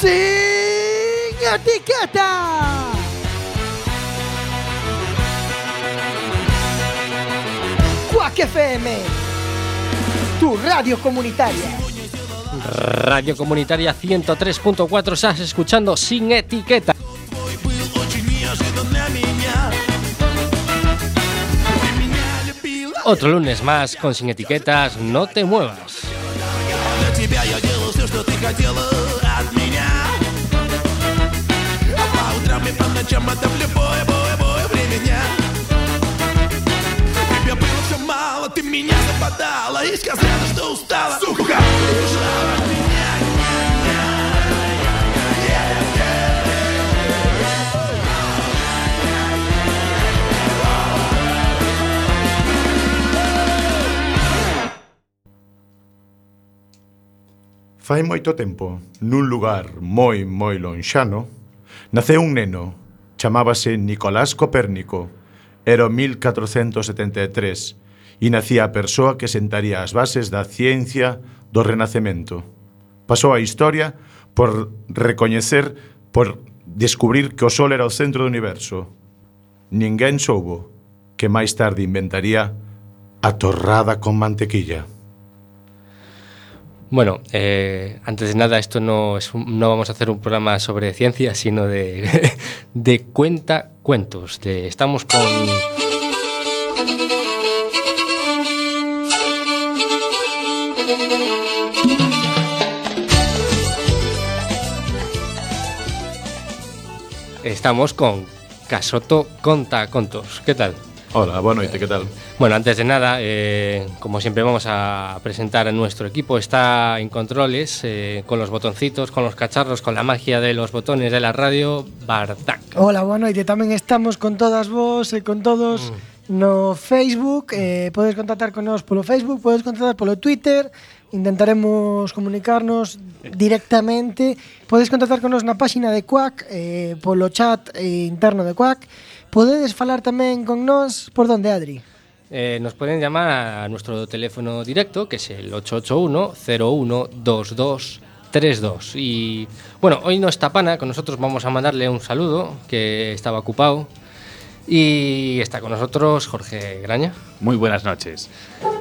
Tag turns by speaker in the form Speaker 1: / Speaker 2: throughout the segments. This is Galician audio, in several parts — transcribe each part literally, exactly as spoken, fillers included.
Speaker 1: Sin etiqueta. Quack F M, tu radio comunitaria.
Speaker 2: Radio Comunitaria ciento tres punto cuatro, estás escuchando Sin Etiqueta. Otro lunes más con Sin Etiquetas, no te muevas.
Speaker 3: Ты меня западала и сказала, что устала. Сука!
Speaker 4: Fai moito tempo, nun lugar moi, moi lonxano, naceu un neno, chamábase Nicolás Copérnico. Era o mil catrocentos setenta e tres e nacía a persoa que sentaría as bases da ciencia do Renacemento. Pasou a historia por recoñecer, por descubrir que o Sol era o centro do universo. Ninguén soubo que máis tarde inventaría a torrada con mantequilla.
Speaker 2: Bueno, eh, antes de nada, esto no, es un, no vamos a hacer un programa sobre ciencia, sino de, de cuenta cuentos. De, estamos con... Estamos con Casoto Conta Contos. ¿Qué tal?
Speaker 4: Hola, boa noite, que tal?
Speaker 2: Bueno, antes de nada, eh, como siempre vamos a presentar a nuestro equipo. Está en controles, eh, con los botoncitos, con los cacharros, con la magia de los botones de la radio, Bartak.
Speaker 1: Hola, boa noite, tamén estamos con todas vos e con todos mm. no Facebook. eh, Podes contactar con nós polo Facebook, podes contactar polo Twitter. Intentaremos comunicarnos directamente. Podes contactar con nós na páxina de Quack, eh, polo chat eh, interno de Quack. Podedes falar tamén con nós por donde, Adri?
Speaker 2: Eh, nos pueden llamar a nuestro teléfono directo, que es el ocho ocho uno, cero uno, dos dos tres dos. Y bueno, hoy no está Pana, con nosotros vamos a mandarle un saludo, que estaba ocupado. Y está con nosotros Jorge Graña.
Speaker 5: Muy buenas noches.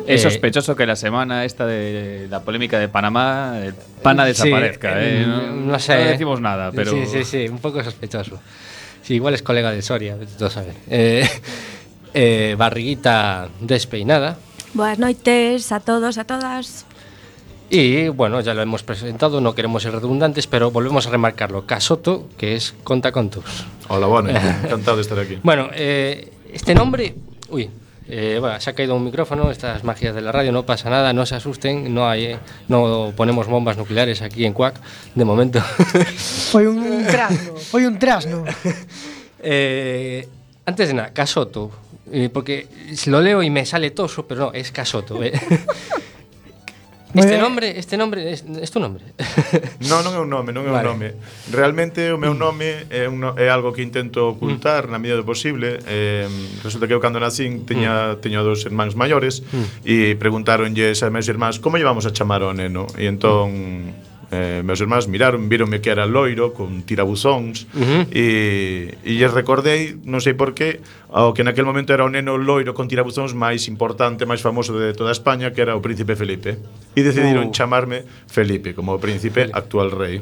Speaker 2: Eh,
Speaker 5: Es sospechoso que la semana esta de la polémica de Panamá, el Pana desaparezca.
Speaker 2: Sí,
Speaker 5: eh,
Speaker 2: no,
Speaker 5: no,
Speaker 2: no sé.
Speaker 5: No decimos nada, pero...
Speaker 2: Sí, sí, sí, un poco sospechoso. Sí, igual es colega de Soria, todo saber. Eh, eh, barriguita despeinada.
Speaker 6: Buenas noites a todos, a todas.
Speaker 2: Y bueno, ya lo hemos presentado, no queremos ser redundantes, pero volvemos a remarcarlo. Casoto, que es Conta Contos.
Speaker 4: Hola, boa noite, encantado de estar aquí.
Speaker 2: Bueno, eh, este nombre... Uy, eh, bueno, se ha caído un micrófono, estas magias de la radio, no pasa nada, no se asusten, no hay, eh, no ponemos bombas nucleares aquí en Quack, de momento.
Speaker 1: Foi un trasno, foi un trasno.
Speaker 2: eh, antes de nada, Casoto, eh, porque lo leo y me sale toso, pero no, es Casoto. Eh. Este nombre, este nombre es, es tu nombre.
Speaker 4: Non, non é un nome, non é
Speaker 2: Vale.
Speaker 4: un nome. Realmente o meu nome é, un, no- é algo que intento ocultar mm. na medida do posible. Eh, resulta que eu cando nacín teña, mm. teño dos irmáns maiores mm. e preguntaronlles a meus irmáns como llevamos a chamar ao neno. E entón eh, meus irmáns miraron, vironme que era loiro con tirabuzóns
Speaker 2: Uh-huh.
Speaker 4: e, e lles recordei, non sei por qué, ao que naquel momento era o neno loiro con tirabuzóns máis importante, máis famoso de toda España, que era o príncipe Felipe. E decidiron
Speaker 2: Uh.
Speaker 4: chamarme Felipe, como o príncipe actual rei.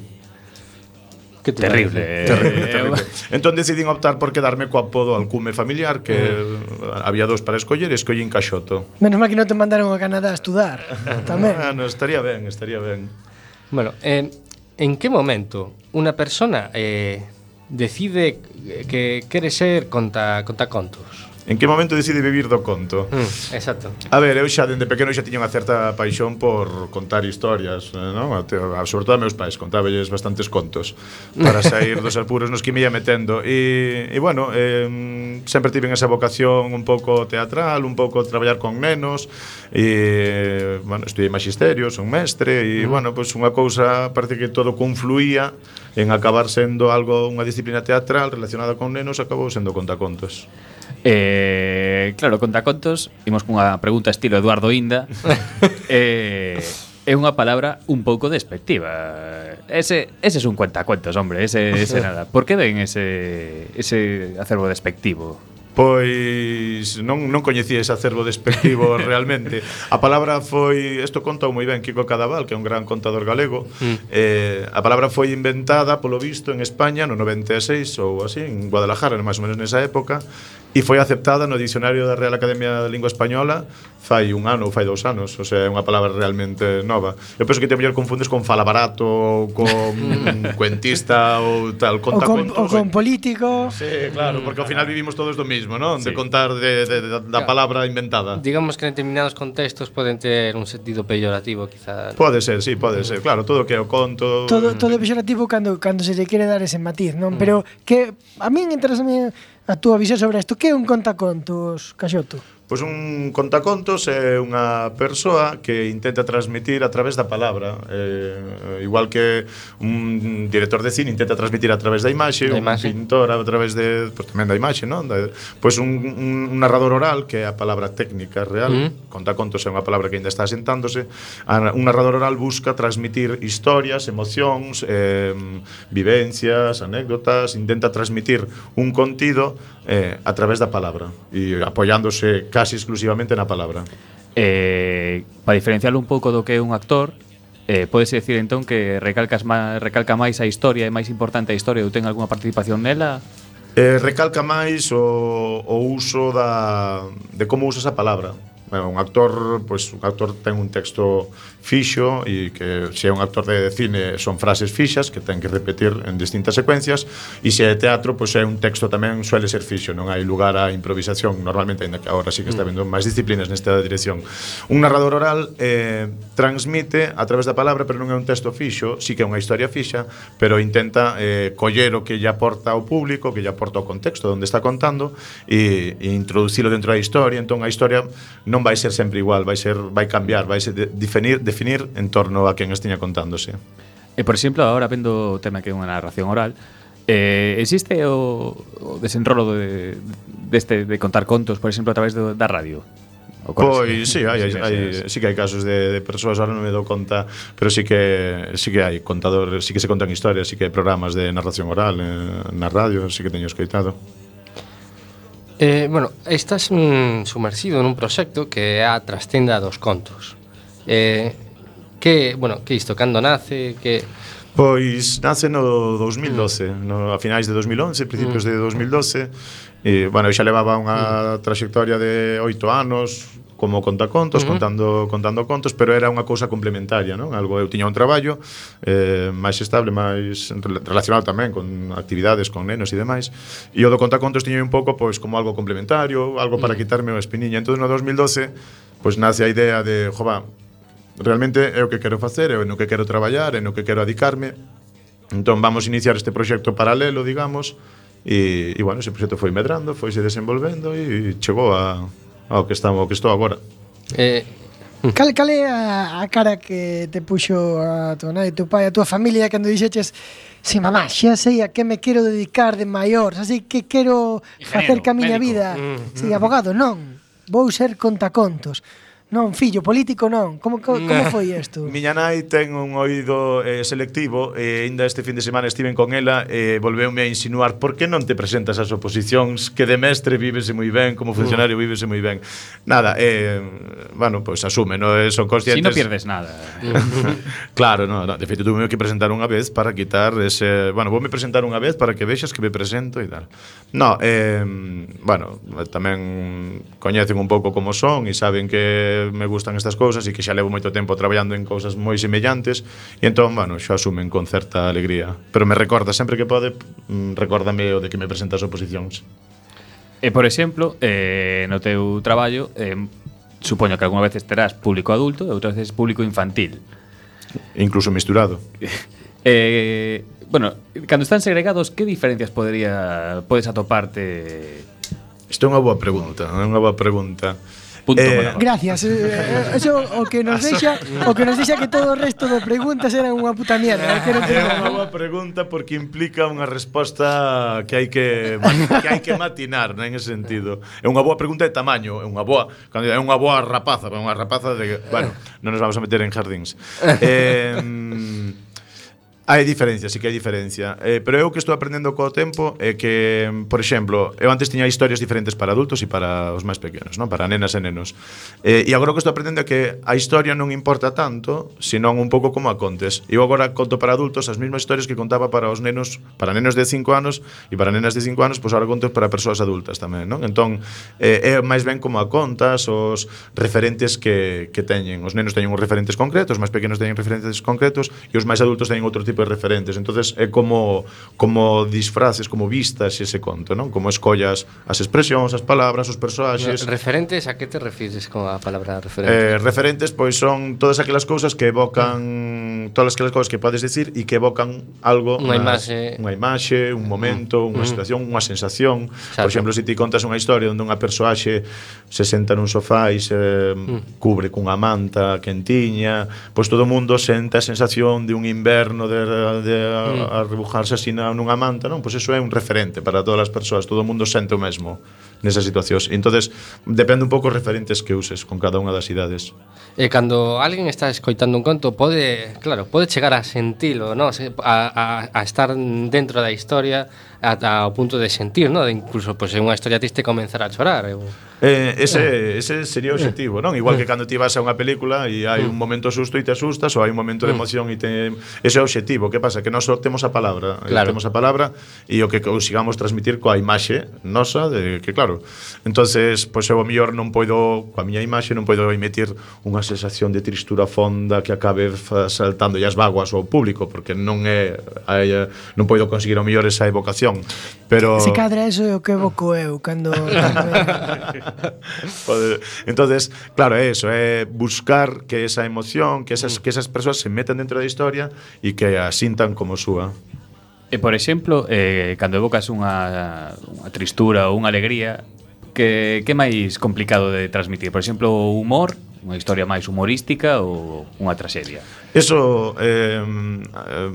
Speaker 2: Qué te
Speaker 5: Terrible.
Speaker 2: parece?
Speaker 4: Terrible,
Speaker 5: Eh,
Speaker 4: terrible. Entón decidín optar por quedarme co apodo alcume familiar, que había dos para escoller, e escollín Caxoto.
Speaker 1: Menos mal que non te mandaron a Canadá a estudar. Tamén.
Speaker 4: Ah, no, estaría ben, estaría ben.
Speaker 2: Bueno, eh, ¿en qué momento una persona eh, decide que quiere ser conta, contacontos?
Speaker 4: En que momento decide vivir do conto?
Speaker 2: Mm, exacto.
Speaker 4: A ver, eu xa dende pequeno xa tiña unha certa paixón por contar historias, non? Sobre todo a meus pais, contábelles bastantes contos para sair dos apuros nos que me ia metendo. E, e bueno, eh, sempre tive esa vocación un pouco teatral, un pouco traballar con nenos, e, bueno, estudiei magisterio, son mestre, e, mm. bueno, pois pues unha cousa, parece que todo confluía en acabar sendo algo, unha disciplina teatral relacionada con nenos, acabou sendo contacontos.
Speaker 5: Eh, claro, contacontos. Imos cunha pregunta estilo Eduardo Inda. eh, é unha palabra un pouco despectiva. Ese, ese es un cuentacuentos, hombre, ese, ese nada. Por que den ese, ese acervo despectivo?
Speaker 4: Pois non, non coñecía ese acervo despectivo realmente. A palabra foi, isto contou moi ben Kiko Cadaval, que é un gran contador galego. mm. eh, A palabra foi inventada, polo visto, en España no noventa e seis ou así, en Guadalajara, máis ou menos nesa época, e foi aceptada no dicionario da Real Academia de Lingua Española fai un ano ou fai dous anos. O sea, é unha palabra realmente nova. Eu penso que te mellor confundes con falabarato ou con cuentista ou tal, contacuentos.
Speaker 1: Ou con, ou con político.
Speaker 4: Sí, claro, porque ao final vivimos todos do mismo, non? De contar de, de, de, da palabra inventada.
Speaker 2: Digamos que en determinados contextos poden ter un sentido peyorativo, quizá.
Speaker 4: Pode ser, sí, pode ser. Claro, todo o que é o conto.
Speaker 1: Todo todo é peyorativo cando cando se lle quere dar ese matiz, non? Mm. Pero que a min interesa a túa visión sobre isto. Que é un contacontos, Caxoto?
Speaker 4: Pois un contacontos é unha persoa que intenta transmitir a través da palabra, eh, igual que un director de cine intenta transmitir a través da imaxe,
Speaker 2: da
Speaker 4: un
Speaker 2: imaxe.
Speaker 4: pintor a través de, pois tamén da imaxe, non? Da, pois un, un narrador oral, que é a palabra técnica real. Mm. Contacontos é unha palabra que ainda está asentándose. A, un narrador oral busca transmitir historias, emocións, eh, vivencias, anécdotas, intenta transmitir un contido eh, a través da palabra e apoiándose casi exclusivamente na palabra.
Speaker 5: Eh, para diferenciarlo un pouco do que é un actor, eh, podes decir entón que recalcas má, recalca máis a historia, é máis importante a historia, ou ten algunha participación nela?
Speaker 4: Eh, recalca máis o, o uso da, de como usas a palabra. Bueno, un actor, pois un actor ten un texto fixo e que se é un actor de cine son frases fixas que ten que repetir en distintas secuencias, e se é teatro, pois é un texto tamén suele ser fixo, non hai lugar á improvisación normalmente, ainda que agora sí que está vendo máis disciplinas nesta dirección. Un narrador oral eh, transmite a través da palabra, pero non é un texto fixo, sí que é unha historia fixa, pero intenta eh, coller o que lle aporta ao público, que lle aporta o contexto onde está contando e, e introducilo dentro da historia. Entón a historia non vai ser sempre igual, vai ser vai cambiar, vai ser de, definir, definir en torno a quen estiña contándose.
Speaker 5: E por exemplo, agora vendo o tema que é unha narración oral, eh, existe o, o desenrolo de, deste de contar contos, por exemplo, a través do, da radio?
Speaker 4: Pois sí, hai, hai, hai, sí que hai casos de, de persoas, ahora non me dou conta, pero sí que sí que hai contadores, sí que se contan historias, sí que hai programas de narración oral eh, na radio, sí que teño escoitado.
Speaker 2: Eh, bueno, estás mm, sumersido nun proxecto que é a Trastenda dos Contos. Eh, que, bueno, que isto, cando nace, que...
Speaker 4: Pois nace no dos mil doce, mm. no, a finais de dos mil once, principios mm. de dos mil doce. E, bueno, eu xa levaba unha mm. trayectoria de oito anos como contacontos, uh-huh. contando contando contos, pero era unha cousa complementaria, non? Algo, eu tiña un traballo eh, máis estable, máis relacionado tamén con actividades con nenos e demais, e o do contacontos tiña un pouco pois como algo complementario, algo para uh-huh. quitarme o espiniña. Entón no dos mil doce pois nace a idea de, jova, realmente é o que quero facer, é no que quero traballar, é no que quero adicarme. Entón vamos a iniciar este proxecto paralelo, digamos, e, e bueno, ese proxecto foi medrando, foi se desenvolvendo e chegou a ao que estamos, ao que estou agora.
Speaker 2: Eh,
Speaker 1: cal, cal é a, a cara que te puxo a tua nai, teu pai, a tua familia cando dixeches: "Si, mamá, xa sei a que me quero dedicar de maior, xa sei que quero facer ca miña vida."
Speaker 2: Mm,
Speaker 1: Si, mm. abogado, non. Vou ser contacontos. Non, fillo, político non. Como, como, como foi isto?
Speaker 4: Miña nai ten un oído eh, selectivo e ainda este fin de semana estiven con ela e volveume a insinuar: por que non te presentas ás oposicións, que de mestre vívese moi ben, como funcionario vívese moi ben. Nada, eh, bueno, pois pues, asume, no son conscientes.
Speaker 5: Si no pierdes nada.
Speaker 4: Claro, no, no, de feito tuve que presentar unha vez para quitar ese, bueno, voume presentar unha vez para que vexas que me presento e tal. No, eh, bueno, tamén coñecen un pouco como son e saben que me gustan estas cousas e que xa levo moito tempo traballando en cousas moi semellantes e entón, bueno, xa asumen con certa alegría, pero me recorda sempre que pode, recórdame o de que me presenta as oposicións.
Speaker 5: E por exemplo, eh, no teu traballo, eh, supoño que algunha veces terás público adulto e outras veces público infantil,
Speaker 4: incluso misturado.
Speaker 5: eh, bueno, cando están segregados, que diferencias podería podes atoparte?
Speaker 4: Isto é unha boa pregunta, é unha boa pregunta.
Speaker 5: Punto
Speaker 4: Eh,
Speaker 5: monólogo.
Speaker 1: Gracias. eh, Eso o que nos deixa, o que nos deixa que todo o resto de preguntas eran unha puta mierda, eh, que non
Speaker 4: É
Speaker 1: tiene
Speaker 4: unha
Speaker 1: nada.
Speaker 4: boa pregunta porque implica unha resposta que hai que que hai que matinar, non, en ese sentido. É unha boa pregunta de tamaño, é unha boa, cando é unha boa rapaza, é unha rapaza de, bueno, non nos vamos a meter en jardíns. Eh, hai diferencia, sí que hai diferencia. Eh, pero eu que estou aprendendo co tempo é que, por exemplo, eu antes tiña historias diferentes para adultos e para os máis pequenos, non? Para nenas e nenos. Eh, e agora o que estou aprendendo é que a historia non importa tanto, senón un pouco como a contes. Eu agora conto para adultos as mesmas historias que contaba para os nenos, para nenos de cinco anos e para nenas de cinco anos, pois agora conto para persoas adultas tamén, non? Entón, eh, é máis ben como a contas, os referentes que, que teñen. Os nenos teñen uns referentes concretos, os máis pequenos teñen referentes concretos e os máis adultos teñen outro tipo de referentes. Entonces é como como disfraces, como vistas ese conto, non? Como escollas as expresións, as palabras, os persoaxes.
Speaker 2: Referentes, a que te refires con a palabra referente?
Speaker 4: Eh, referentes pois son todas aquelas cousas que evocan todas aquelas cousas que podes decir e que evocan algo,
Speaker 2: Unha
Speaker 4: nas-
Speaker 2: imaxe.
Speaker 4: unha imaxe, un momento, unha
Speaker 2: Mm.
Speaker 4: situación, unha sensación.
Speaker 2: Exacto.
Speaker 4: Por exemplo, se ti contas unha historia onde unha persoaxe se senta nun sofá e se
Speaker 2: Mm.
Speaker 4: cubre cunha manta quentiña, pois todo o mundo sente a sensación de un inverno de, de a,
Speaker 2: Mm.
Speaker 4: a rebujarse así na- nunha manta, non? Pois eso é un referente para todas as persoas, todo o mundo sente o mesmo nesas situacións. Entonces, depende un pouco os referentes que uses con cada unha das idades.
Speaker 2: E cando alguén está escoitando un conto pode, claro, pode chegar a sentilo, ¿no? Se- A, a, a estar dentro da historia ata o punto de sentir, ¿no? De incluso pois pues, unha historia triste comenzar a chorar. Eu...
Speaker 4: Eh, ese, ese sería o objetivo, non? Igual que cando ti vas a unha película e hai un momento susto e te asustas, ou hai un momento de emoción e te... Ese é o objetivo. Que pasa? Que nós só temos a palabra.
Speaker 2: Claro.
Speaker 4: Temos a palabra e o que consigamos transmitir coa imaxe nosa, de que claro. Entonces, pois eu o mellor non poido, coa miña imaxe, non poido emitir unha sensación de tristura fonda que acabe fa- saltando as vaguas ao público, porque non é... Hai, eh, non poido conseguir o mellor esa evocación. Pero...
Speaker 1: Se cadra eso é o que evoco eu cando
Speaker 4: Poder- Entonces, claro, é eso, é buscar que esa emoción, que esas, que esas persoas se metan dentro da historia e que a sintan como súa.
Speaker 5: E, por exemplo, eh, cando evocas unha, unha tristura ou unha alegría, que, que é máis complicado de transmitir? Por exemplo, o humor, unha historia máis humorística ou unha traxedia?
Speaker 4: Eso eh, eh,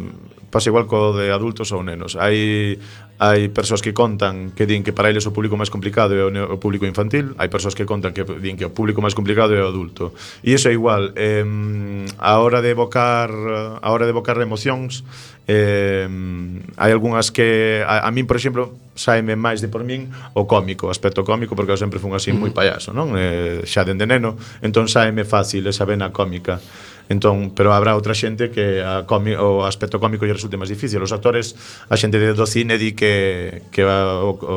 Speaker 4: pasa igual co de adultos ou nenos. Hai hai persoas que contan que din que para eles o público máis complicado é o, ne- o público infantil, hai persoas que contan que din que o público máis complicado é o adulto. E iso é igual, eh, a hora de evocar a hora de evocar emocións, eh, hai algunhas que a, a min, por exemplo, saime máis de por min o cómico, o aspecto cómico, porque eu sempre fun así moi payaso, non? Eh, xa dende neno, entón saime fácil esa vena cómica. Entón, pero habrá outra xente que a comi, o aspecto cómico lle resulte máis difícil. Os actores, a xente do cine di que que a, o, o,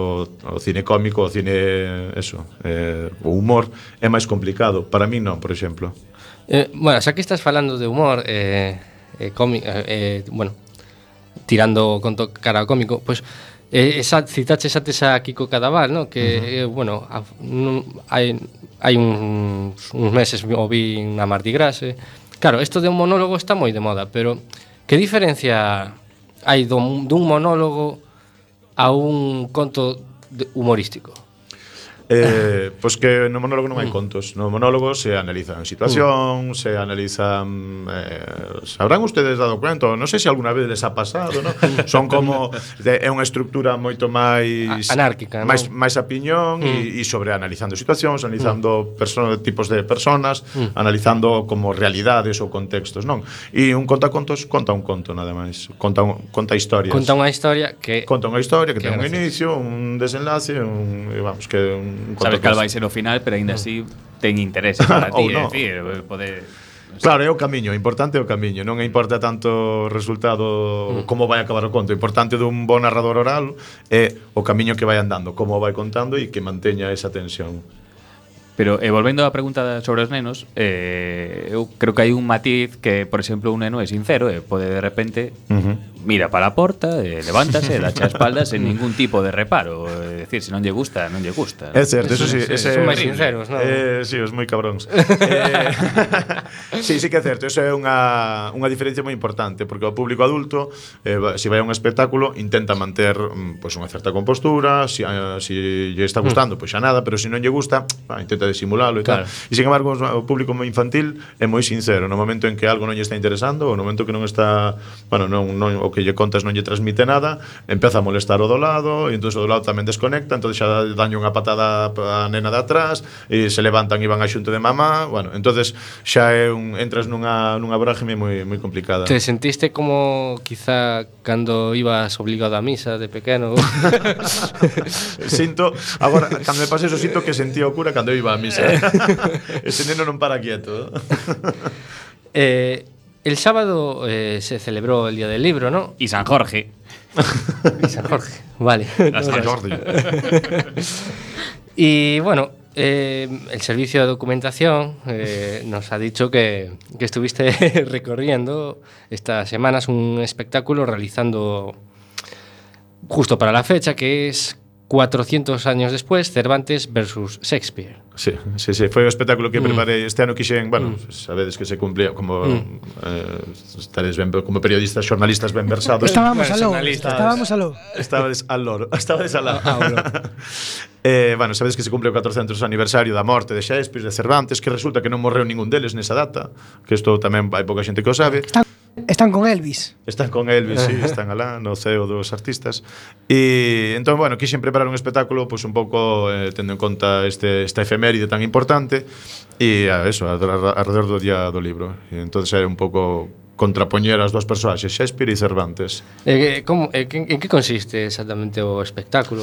Speaker 4: o cine cómico, o cine eso, eh, o humor é máis complicado. Para mí non, por exemplo.
Speaker 2: Eh, bueno, xa que estás falando de humor, eh, eh, cómi, eh, eh, bueno, tirando conto cara ao cómico, pois pues, eh, esa, citaches antes a Kiko Cadaval, ¿no? Que, uh-huh. eh, bueno, a, non, hai, hai uns, uns meses o vi na Mardi Gras, eh. Claro, isto de un monólogo está moi de moda, pero que diferencia hai dun, dun monólogo a un conto de- humorístico?
Speaker 4: Eh, pois que no monólogo non hai contos. No monólogo se analizan situacións, se analizan eh, sabrán ustedes dado cuenta, non sei se alguna vez les ha pasado, ¿no? Son como de, é unha estrutura moito máis
Speaker 2: A- anárquica, ¿no?
Speaker 4: máis máis a piñón e, e sobre analizando situacións, analizando perso- tipos de personas, analizando como realidades ou contextos, non? E un contacontos conta un conto nada máis, conta un, conta historias.
Speaker 2: Conta unha historia que
Speaker 4: Conta unha historia que
Speaker 2: Que
Speaker 4: ten un
Speaker 2: gracias.
Speaker 4: inicio, un desenlace, un, e vamos, que un
Speaker 5: Sabes cal vai ser o final, pero aínda así ten interés para ti,
Speaker 4: Ou
Speaker 5: é
Speaker 4: no.
Speaker 5: dicir, poder...
Speaker 4: Claro, é o camiño, o importante é o camiño, non é importa tanto o resultado como vai acabar o conto, o importante dun bon narrador oral é o camiño que vai andando, como vai contando e que manteña esa tensión.
Speaker 5: Pero, e volvendo á pregunta sobre os nenos, eh, eu creo que hai un matiz que, por exemplo, un neno é sincero e pode de repente
Speaker 4: Uh-huh.
Speaker 5: mira para a porta, e levántase, dache a espaldas sen ningún tipo de reparo. É dicir, se non lle gusta, non lle gusta.
Speaker 4: É certo, eso sí,
Speaker 2: Sí,
Speaker 4: ese
Speaker 2: son máis sinceros, non?
Speaker 4: Eh, sí, os moi cabróns. eh, sí, sí que é certo, eso é unha, unha diferencia moi importante, porque o público adulto, eh, va- se vai a un espectáculo, intenta manter mm, pois unha certa compostura, se si, eh, si lle está gustando, pois xa nada, pero se non lle gusta, ah, intenta tenta disimulalo e
Speaker 2: Claro.
Speaker 4: tal. E sin embargo, o público infantil é moi sincero, no momento en que algo non lle está interesando, ou no momento que non está, bueno, non, non, o que lle contas non lle transmite nada, empeza a molestar o do lado, e entón o do lado tamén desconecta, entón xa daño unha patada a nena de atrás, e se levantan e van a xunto de mamá, bueno, entonces xa é un, entras nunha, nunha brágime moi, moi complicada.
Speaker 2: Te sentiste como quizá cando ibas obligado a misa de pequeno?
Speaker 4: Sinto, agora, cando me pase eso, sinto que sentía o cura cando eu iba a misa. Ese neno non para quieto.
Speaker 2: eh, el sábado eh, se celebró el Día del Libro, ¿no?
Speaker 5: Y San Jorge.
Speaker 2: Y San Jorge, vale.
Speaker 4: A San Jordi.
Speaker 2: Y bueno, eh, el servicio de documentación eh, nos ha dicho que, que estuviste recorriendo estas semanas un espectáculo realizando justo para la fecha, que es cuatrocientos años después, Cervantes versus Shakespeare.
Speaker 4: Sí, sí, sí, foi o espectáculo que
Speaker 2: Mm.
Speaker 4: preparei este ano. Quixen, bueno,
Speaker 2: Mm.
Speaker 4: sabedes que se cumplía como
Speaker 2: Mm.
Speaker 4: eh, estaredes ben, como periodistas, xornalistas ben versados.
Speaker 1: Estábamos aló,
Speaker 2: Personalistas.
Speaker 1: estábamos aló.
Speaker 4: Estabades al loro, estabades al lado.
Speaker 2: Ah, bueno.
Speaker 4: eh, bueno, sabedes que se cumple o catrocentos aniversario da morte de Shakespeare, de Cervantes, que resulta que non morreu ningún deles nesa data, que isto tamén hai pouca xente que o sabe.
Speaker 1: Están, están con Elvis.
Speaker 4: Están con Elvis, sí, están alá no ceo dos artistas. E entón, bueno, quixen preparar un espectáculo pois pues, un pouco eh, tendo en conta este esta efeméride tan importante e a eso, alrededor do día do libro. E entón é un pouco contrapoñer as dúas persoaxes, Shakespeare e Cervantes.
Speaker 2: Eh, como, eh, en, en que consiste exactamente o espectáculo?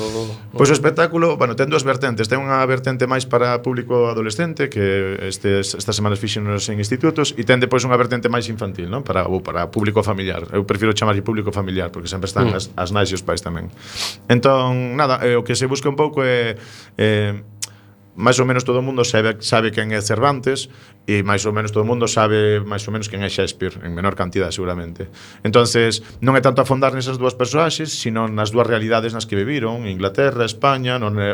Speaker 4: Pois o espectáculo, bueno, ten dúas vertentes. Ten unha vertente máis para público adolescente, que estes, estas semanas fixenos en institutos, e ten depois unha vertente máis infantil, non? Para, ou para público familiar. Eu prefiro chamarlle público familiar, porque sempre están mm. as, as nais e os pais tamén. Entón, nada, eh, o que se busca un pouco é... Eh, máis ou menos todo o mundo sabe, sabe quen é Cervantes e máis ou menos todo o mundo sabe máis ou menos quen é Shakespeare, en menor cantidad seguramente. Entonces, non é tanto afondar nesas dúas persoaxes, sino nas dúas realidades nas que viviron, Inglaterra, España, non é,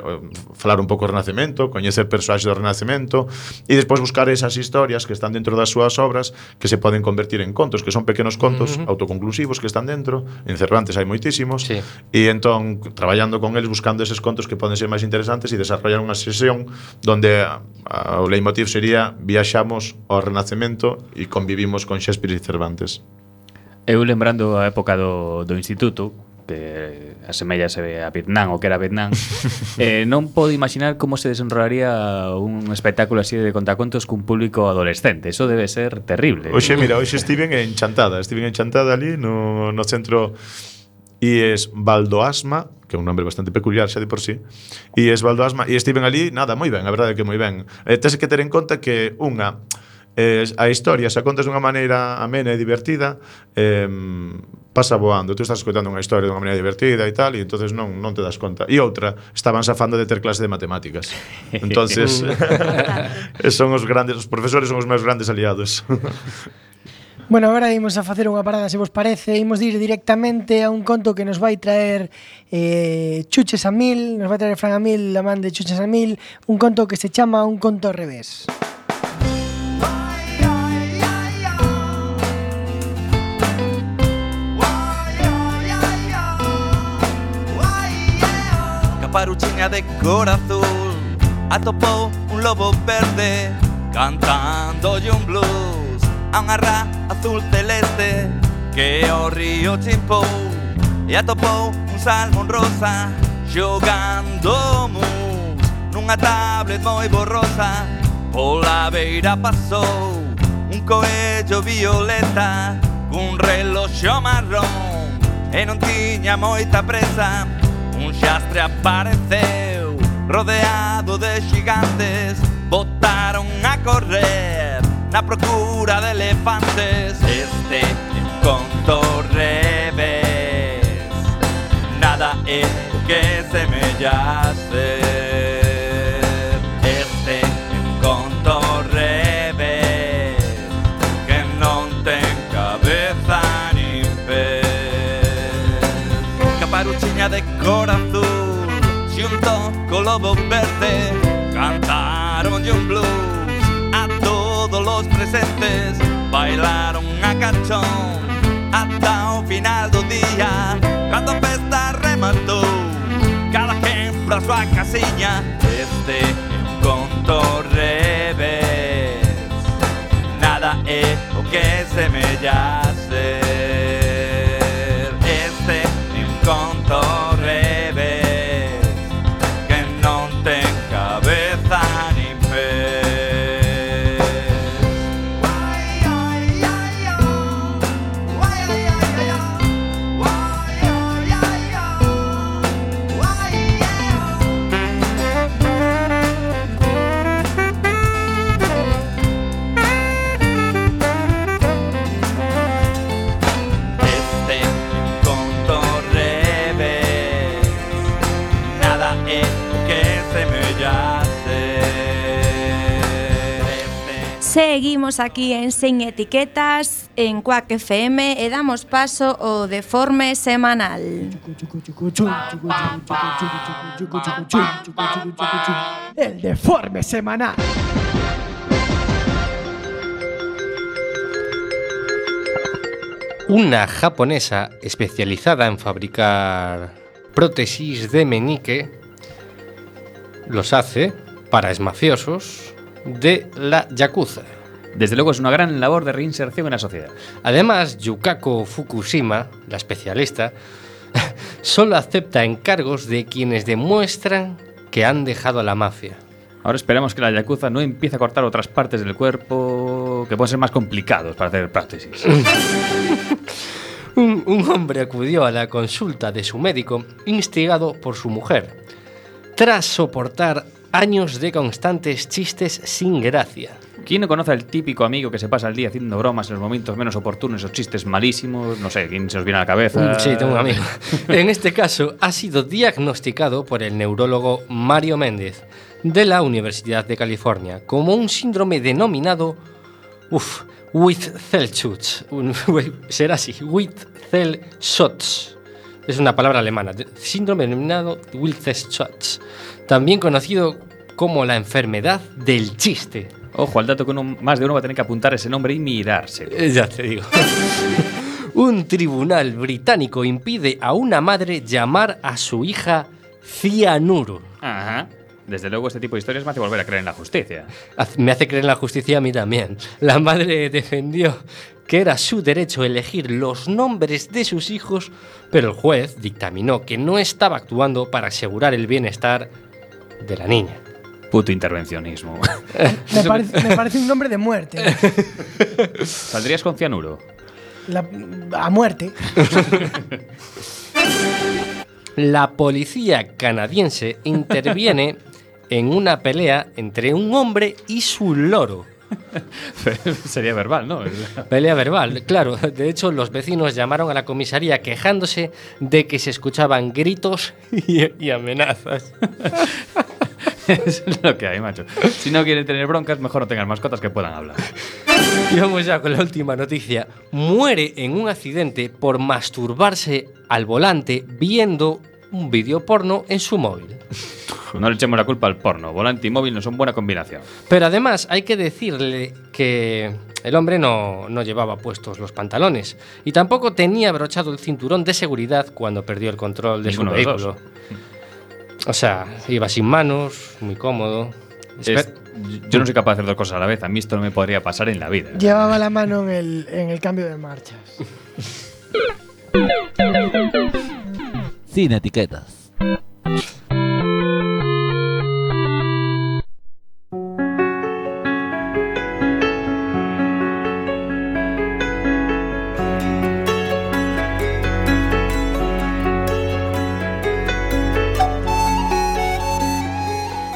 Speaker 4: falar un pouco do Renacemento, coñecer persoaxes do Renacemento e despois buscar esas historias que están dentro das súas obras que se poden convertir en contos, que son pequenos contos uh -huh. autoconclusivos que están dentro. En Cervantes hai moitísimos
Speaker 2: sí.
Speaker 4: E entón, traballando con eles, buscando eses contos que poden ser máis interesantes e desarrollar unha sesión donde a, a, o leitmotiv sería viaxamos ao Renacemento e convivimos con Shakespeare e Cervantes.
Speaker 5: Eu lembrando a época do, do instituto, que asemellase a Vietnam, o que era Vietnam, eh, non podo imaginar como se desenrolaría un espectáculo así de contacontos cun público adolescente. Eso debe ser terrible.
Speaker 4: Oxe, mira, hoxe estiven en Chantada, estiven en Chantada ali no, no centro e es Valdoasma, que é un nombre bastante peculiar xa de por sí, e es Valdoasma, e estiven ali, nada, moi ben, a verdade é que moi ben. Eh, tens que ter en conta que, unha, eh, a historia, se a contas dunha maneira amena e divertida, eh, pasa voando. Tú estás escoitando unha historia dunha maneira divertida e tal, e entonces non, non te das conta. E outra, estaban safando de ter clase de matemáticas. Entonces, son os grandes, os profesores son os meus grandes aliados.
Speaker 1: Bueno, agora imos a facer unha parada, se vos parece. Imos ir directamente a un conto que nos vai traer eh, Chuches a Mil. Nos vai traer Fran a Mil, a man de Chuches a Mil. Un conto que se chama Un conto ao revés.
Speaker 7: Caparuchiña de cor azul atopou un lobo verde cantándolle un blues a unha ra azul celeste que o río chimpou e atopou un salmón rosa xogando mus nunha tablet moi borrosa. Pola beira pasou un coello violeta cun reloxo marrón e non tiña moita presa. Un xastre apareceu rodeado de xigantes, botaron a correr na procura de elefantes. Este conto revés nada é o que semella ser. Este conto revés que non ten cabeza nin pés. Caparuchiña de cor azul xunto co lobo verde cantaronlle un blues a todos los presentes, bailaron a cachón ata o final do día. Cando a festa rematou, cada quen pra súa casiña. Este é un conto
Speaker 6: Seguimos aquí en Sin Etiquetas en Quack F M e damos paso ao Deforme Semanal.
Speaker 1: El Deforme Semanal.
Speaker 2: Una japonesa especializada en fabricar prótesis de meñique los hace para exmafiosos de la Yakuza.
Speaker 5: Desde luego es una gran labor de reinserción en la sociedad.
Speaker 2: Además, Yukako Fukushima, la especialista, solo acepta encargos de quienes demuestran que han dejado a la mafia.
Speaker 5: Ahora esperamos que la Yakuza no empiece a cortar otras partes del cuerpo que pueden ser más complicados para hacer prótesis.
Speaker 2: un, un hombre acudió a la consulta de su médico instigado por su mujer, tras soportar años de constantes chistes sin gracia.
Speaker 5: ¿Quién no conoce al típico amigo que se pasa el día haciendo bromas en los momentos menos oportunos o chistes malísimos? No sé, ¿quién se os viene a la cabeza?
Speaker 2: Sí, tengo un amigo. En este caso, ha sido diagnosticado por el neurólogo Mario Méndez, de la Universidad de California, como un síndrome denominado Uf, Wittelsschutz. Será así, Wittelsschutz. Es una palabra alemana. Síndrome denominado Wittelsschutz, también conocido como la enfermedad del chiste.
Speaker 5: Ojo al dato que uno, más de uno va a tener que apuntar ese nombre y mirarse.
Speaker 2: Eh, ya te digo. Un tribunal británico impide a una madre llamar a su hija cianuro.
Speaker 5: Ajá. Desde luego este tipo de historias me hace volver a creer en la justicia.
Speaker 2: Me hace creer en la justicia a mí también. La madre defendió que era su derecho elegir los nombres de sus hijos, pero el juez dictaminó que no estaba actuando para asegurar el bienestar de la niña.
Speaker 5: Puto intervencionismo.
Speaker 1: Me parece, me parece un nombre de muerte.
Speaker 5: ¿Saldrías con cianuro?
Speaker 1: La, a muerte.
Speaker 2: La policía canadiense interviene en una pelea entre un hombre y su loro.
Speaker 5: Sería verbal, ¿no?
Speaker 2: Pelea verbal, claro. De hecho, los vecinos llamaron a la comisaría quejándose de que se escuchaban gritos y, y amenazas.
Speaker 5: Es lo que hay, macho. Si no quieren tener broncas, mejor no tengan mascotas que puedan hablar.
Speaker 2: Y vamos ya con la última noticia. Muere en un accidente por masturbarse al volante viendo un vídeo porno en su móvil.
Speaker 5: No le echemos la culpa al porno. Volante y móvil no son buena combinación.
Speaker 2: Pero además hay que decirle que el hombre no, no llevaba puestos los pantalones y tampoco tenía abrochado el cinturón de seguridad cuando perdió el control de
Speaker 5: Ninguno
Speaker 2: su
Speaker 5: de
Speaker 2: vehículo. O sea, iba sin manos, muy cómodo.
Speaker 5: Es, yo no soy capaz de hacer dos cosas a la vez. A mí esto no me podría pasar en la vida.
Speaker 1: Llevaba la mano en el, en el cambio de marchas.
Speaker 8: Sin etiquetas.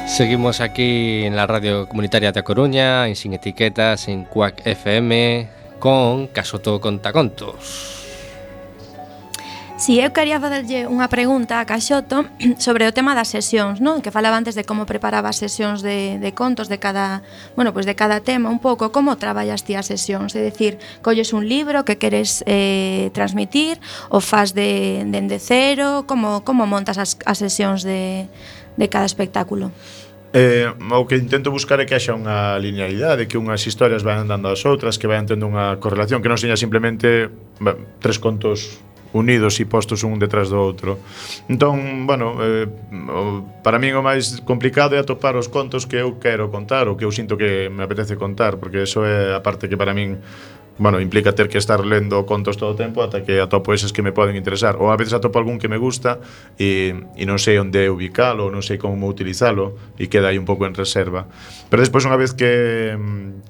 Speaker 2: Seguimos aquí en la radio comunitaria de A Coruña, en Sin Etiquetas, en Quack F M, con Casoto Contacontos.
Speaker 6: Si eu quería facerlle unha pregunta a Caxoto sobre o tema das sesións, non? Que falaba antes de como preparaba as sesións de, de contos de cada, bueno, pues de cada tema un pouco, como traballas ti as sesións? É dicir, colles un libro que queres eh, transmitir ou faz de, de, de cero? Como, como montas as, as sesións de, de cada espectáculo?
Speaker 4: Eh, o que intento buscar é que haxa unha linealidade, que unhas historias vayan dando ás outras, que vayan tendo unha correlación, que non seña simplemente tres contos unidos e postos un detrás do outro. Entón, bueno, eh, para min o máis complicado é atopar os contos que eu quero contar, ou que eu sinto que me apetece contar, porque eso é a parte que para min, bueno, implica ter que estar lendo contos todo o tempo ata que atopo eses que me poden interesar, ou a veces atopo algún que me gusta e, e non sei onde ubicalo, non sei como utilizalo e queda aí un pouco en reserva. Pero despois, unha vez que,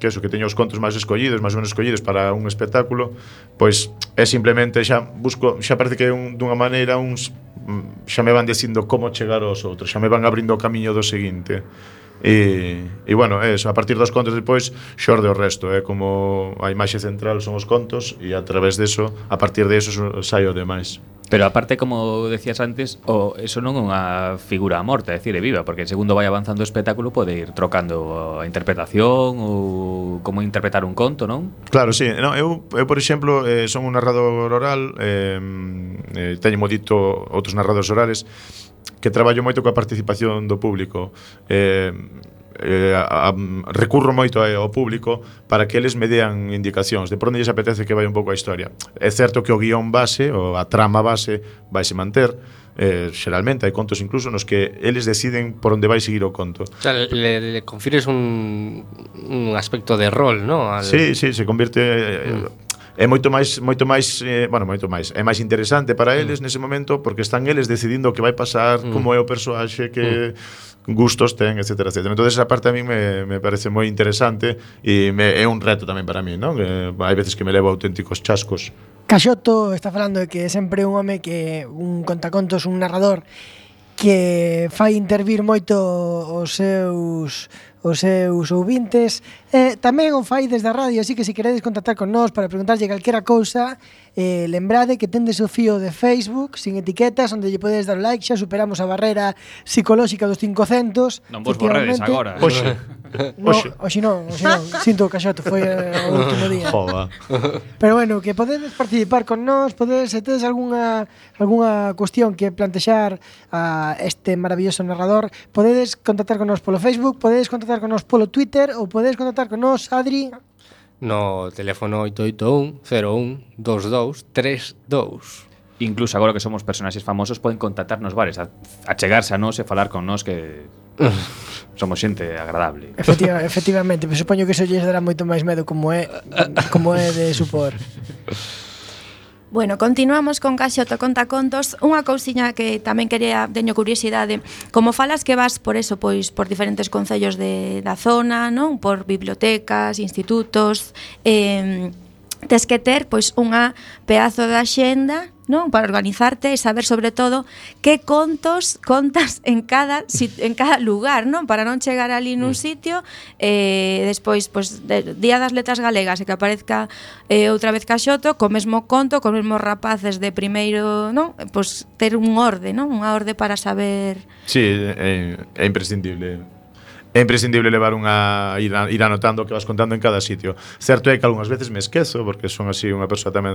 Speaker 4: que eso, que teño os contos máis escollidos, máis ou menos escollidos para un espectáculo, pois é simplemente xa busco, xa parece que un, dunha maneira uns xa me van dicindo como chegar aos outros, xa me van abrindo o camiño do seguinte. E, e bueno, eso, a partir dos contos depois xorde o resto, é como a imaxe central son os contos e a través deso, a partir de eso sai o demais.
Speaker 5: Pero aparte, como decías antes, o eso non é unha figura morta, é dicir, é viva, porque segundo vai avanzando o espectáculo pode ir trocando a interpretación ou como interpretar un conto, non?
Speaker 4: Claro, sí. No, eu, eu, por exemplo, eh, son un narrador oral, eh, eh, teño modito outros narradores orales, que traballo moito coa participación do público. Eh, eh, a, a, recurro moito ao público para que eles me dean indicacións de por onde lles apetece que vai un pouco a historia. É certo que o guión base, ou a trama base, vaise manter. Eh, xeralmente hai contos incluso nos que eles deciden por onde vai seguir o conto.
Speaker 2: O sea, le, le confires un, un aspecto de rol, ¿no? Al...
Speaker 4: Sí, sí, se convierte... Eh, mm. É moito máis moito máis, eh, bueno, moito máis. É máis interesante para eles mm. nese momento porque están eles decidindo o que vai pasar, mm. como é o persoaxe, que mm. gustos ten, etcétera, etcétera. Entonces esa parte a mí me, me parece moi interesante e me, é un reto tamén para mí, non? Que hai veces que me levo auténticos chascos.
Speaker 1: Caxoto está falando de que é sempre un home que un contacontos, un narrador que fai intervir moito os seus os seus ouvintes. Eh, tamén o fai desde a radio, así que se queredes contactar con nós para preguntarlle calquera cousa, eh, lembrade que tendes o fío de Facebook sin etiquetas, onde lle podedes dar like. Xa superamos a barrera psicolóxica dos cincocentos.
Speaker 5: Non vos borredes agora.
Speaker 4: Oxe.
Speaker 1: No, oxe non, oxe non. Sinto, Caxoto, foi eh, o último día.
Speaker 4: Joda.
Speaker 1: Pero bueno, que podedes participar con nós, podedes, se tedes algunha algunha cuestión que plantexar a este maravilloso narrador, podedes contactar con nós polo Facebook, podedes contactar con nós polo Twitter ou podedes contactar con nós, Adri,
Speaker 2: no teléfono oito oito un, cero un, dos dous, tres dous.
Speaker 5: Incluso agora que somos personaxes famosos poden contactarnos bares, a, a chegarse a nós e falar con nós, que somos xente agradable.
Speaker 1: Efectiva, efectivamente, pero supoño que iso lles dará moito máis medo como é como é de supor.
Speaker 6: Bueno, continuamos con Caxoto Contacontos. Unha cousiña que tamén quería, teño curiosidade, como falas que vas por eso, pois por diferentes concellos de, da zona, non? Por bibliotecas, institutos, eh, tes que ter pois unha pedazo de axenda, non? Para organizarte e saber sobre todo que contos contas en cada en cada lugar, non? Para non chegar ali nun sitio e eh, despois pois de, Día das Letras Galegas e que aparezca eh, outra vez Caxoto co mesmo conto, cos mesmos rapaces de primeiro, non? Pois ter un orde, non? Unha orde para saber.
Speaker 4: Sí, é, é imprescindible. É imprescindible levar unha ir, a, ir anotando o que vas contando en cada sitio. Certo é que algunhas veces me esquezo, porque son así unha persoa tamén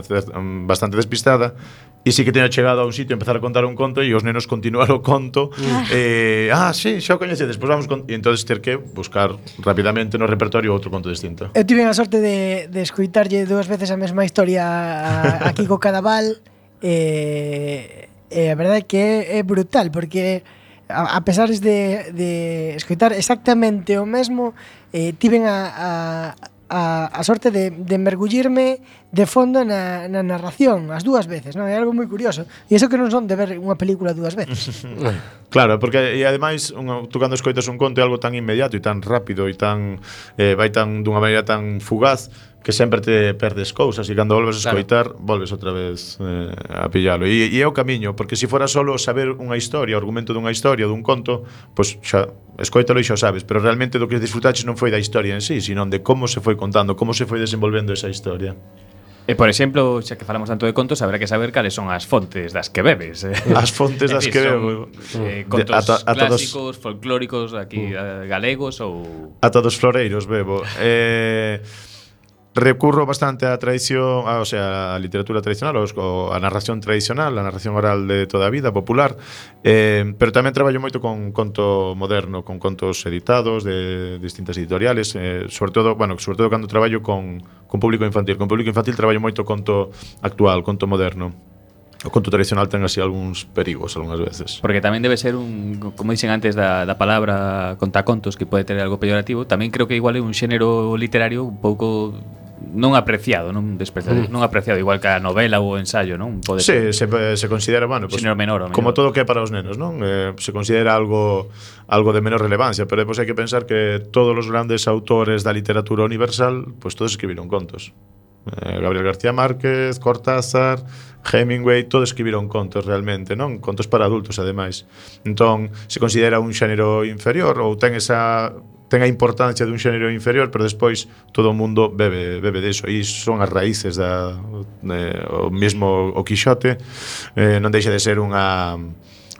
Speaker 4: bastante despistada, e sí que teño chegado a un sitio a empezar a contar un conto e os nenos continuar o conto. Ah, eh, ah sí, xa o coñecedes, pois vamos con... E entonces ter que buscar rapidamente no repertorio outro conto distinto.
Speaker 1: Eu tive a sorte de, de escoitarlle dúas veces a mesma historia a, aquí co Cadaval, e, e a verdade é que é, é brutal, porque a, a pesar de, de escoitar exactamente o mesmo, eh, tiven a, a, a, a sorte de, de mergullirme de fondo na, na narración as dúas veces, non? É algo moi curioso. E iso que non son de ver unha película dúas veces.
Speaker 4: Claro, porque e ademais un, tú cando escoitas un conto é algo tan inmediato e tan rápido e tan eh, vai tan dunha maneira tan fugaz que sempre te perdes cousas e cando volves a escoitar, claro, volves outra vez eh, a pillalo. E, e é o camiño, porque se fora solo saber unha historia, o argumento dunha historia, dun conto, pois xa escoítalo e xa o sabes, pero realmente do que disfrutaches non foi da historia en sí, sino de como se foi contando, como se foi desenvolvendo esa historia.
Speaker 5: E, por exemplo, xa que falamos tanto de contos, habrá que saber cales son as fontes das que bebes.
Speaker 4: As fontes das que bebo.
Speaker 5: Eh, contos de, ata, ata clásicos, dos, folclóricos, aquí uh, galegos ou...
Speaker 4: Ata dos floreiros bebo. Eh... Recurro bastante á tradición, a, o sea, a literatura tradicional, ou a narración tradicional, a narración oral de toda a vida, popular, eh, pero tamén traballo moito con conto moderno, con contos editados de distintas editoriales, eh, sobre todo, bueno, sobre todo cando traballo con, con público infantil. Con público infantil traballo moito conto actual, conto moderno. O conto tradicional ten así algúns perigos algunhas veces.
Speaker 5: Porque tamén debe ser un, como dicen antes da, da palabra contacontos, que pode ter algo peyorativo, tamén creo que igual é un xénero literario un pouco non apreciado, non despreciado, mm. non apreciado igual que a novela ou o ensayo, non? Pode
Speaker 4: sí, se, se considera, bueno, pues,
Speaker 5: menor, menor.
Speaker 4: como todo o que é para os nenos, non? Eh, se considera algo algo de menor relevancia, pero depois hai que pensar que todos os grandes autores da literatura universal, pues todos escribiron contos. Eh, Gabriel García Márquez, Cortázar, Hemingway, todos escribiron contos realmente, non? Contos para adultos, ademais. Entón, se considera un xénero inferior ou ten esa ten a importancia dun xénero inferior, pero despois todo o mundo bebe bebe deso, e son as raíces da eh, o mesmo o Quixote, eh, non deixa de ser unha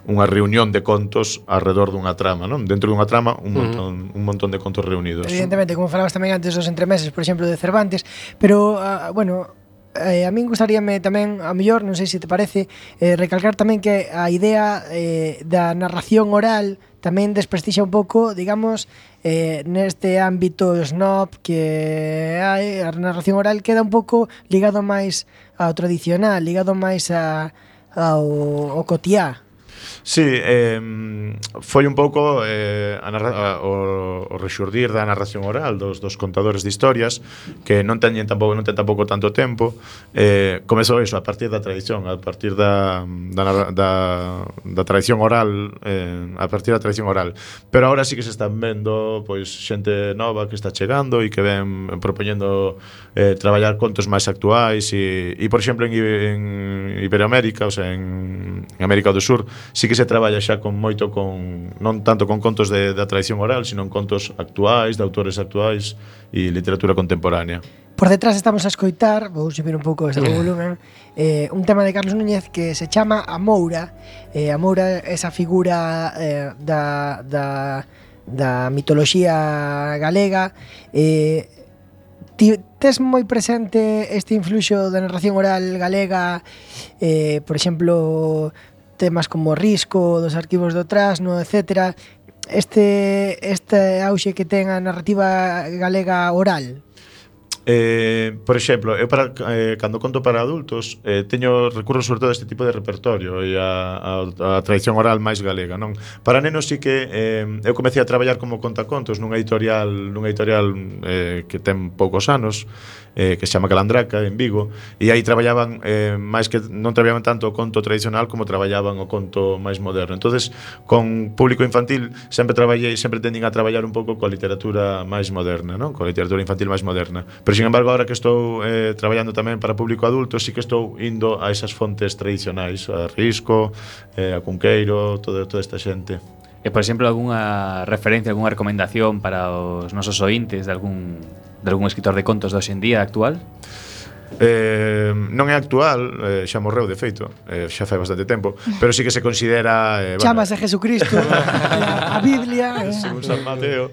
Speaker 4: unha reunión de contos alrededor dunha trama, non? Dentro dunha trama un montón, uh -huh. un montón de contos reunidos.
Speaker 1: Evidentemente, como falabas tamén antes dos entremeses, por exemplo, de Cervantes, pero uh, bueno, eh, a min gustaríame tamén, a mellor, non sei se te parece, eh, recalcar tamén que a idea eh, da narración oral tamén desprestixa un pouco, digamos, eh, neste ámbito snob que hai, a narración oral queda un pouco ligado máis ao tradicional, ligado máis a, ao, ao cotiá.
Speaker 4: Sí, eh, foi un pouco eh, a narra a, o, o rexurdir da narración oral dos, dos contadores de historias que non teñen tampouco non ten tampouco tanto tempo. Eh, comezou iso a partir da tradición, a partir da da, da, da tradición oral, eh, a partir da tradición oral. Pero agora sí que se están vendo pois xente nova que está chegando e que ven propoñendo eh, traballar contos máis actuais e, e por exemplo en, en Iberoamérica, o sea, en, en América do Sur, sí que se traballa xa con moito con non tanto con contos de, da tradición oral, sino en contos actuais, de autores actuais e literatura contemporánea.
Speaker 1: Por detrás estamos a escoitar, vou subir un pouco ese volumen, eh, un tema de Carlos Núñez que se chama A Moura. Eh, a Moura é esa figura eh, da, da, da mitoloxía galega. Eh, ti, tes moi presente este influxo da narración oral galega, eh, por exemplo, temas como Risco, dos arquivos do Trasno, etcétera. Este, este auxe que ten a narrativa galega oral.
Speaker 4: Eh, por exemplo, eu para, eh, cando conto para adultos eh, teño recurso sobre todo a este tipo de repertorio e a, a, a tradición oral máis galega, non? Para nenos sí que eh, eu comecei a traballar como contacontos nunha editorial nunha editorial eh, que ten poucos anos, eh, que se chama Calandraca en Vigo, e aí traballaban eh, máis que non traballaban tanto o conto tradicional como traballaban o conto máis moderno. Entonces, con público infantil sempre traballei, sempre tendín a traballar un pouco coa literatura máis moderna, non? Coa literatura infantil máis moderna. Pero sin embargo, agora que estou eh, traballando tamén para público adulto, sí que estou indo a esas fontes tradicionais, a Risco, eh, a Cunqueiro, toda, toda esta xente.
Speaker 5: E, por exemplo, algunha referencia, algunha recomendación para os nosos ointes de algún, de algún escritor de contos de hoxe en día actual?
Speaker 4: Eh, non é actual, eh, xa morreu de feito, eh, xa fai bastante tempo, pero sí que se considera eh,
Speaker 1: Chamas bueno, a Jesucristo, a, a Biblia, eh.
Speaker 4: según San Mateo.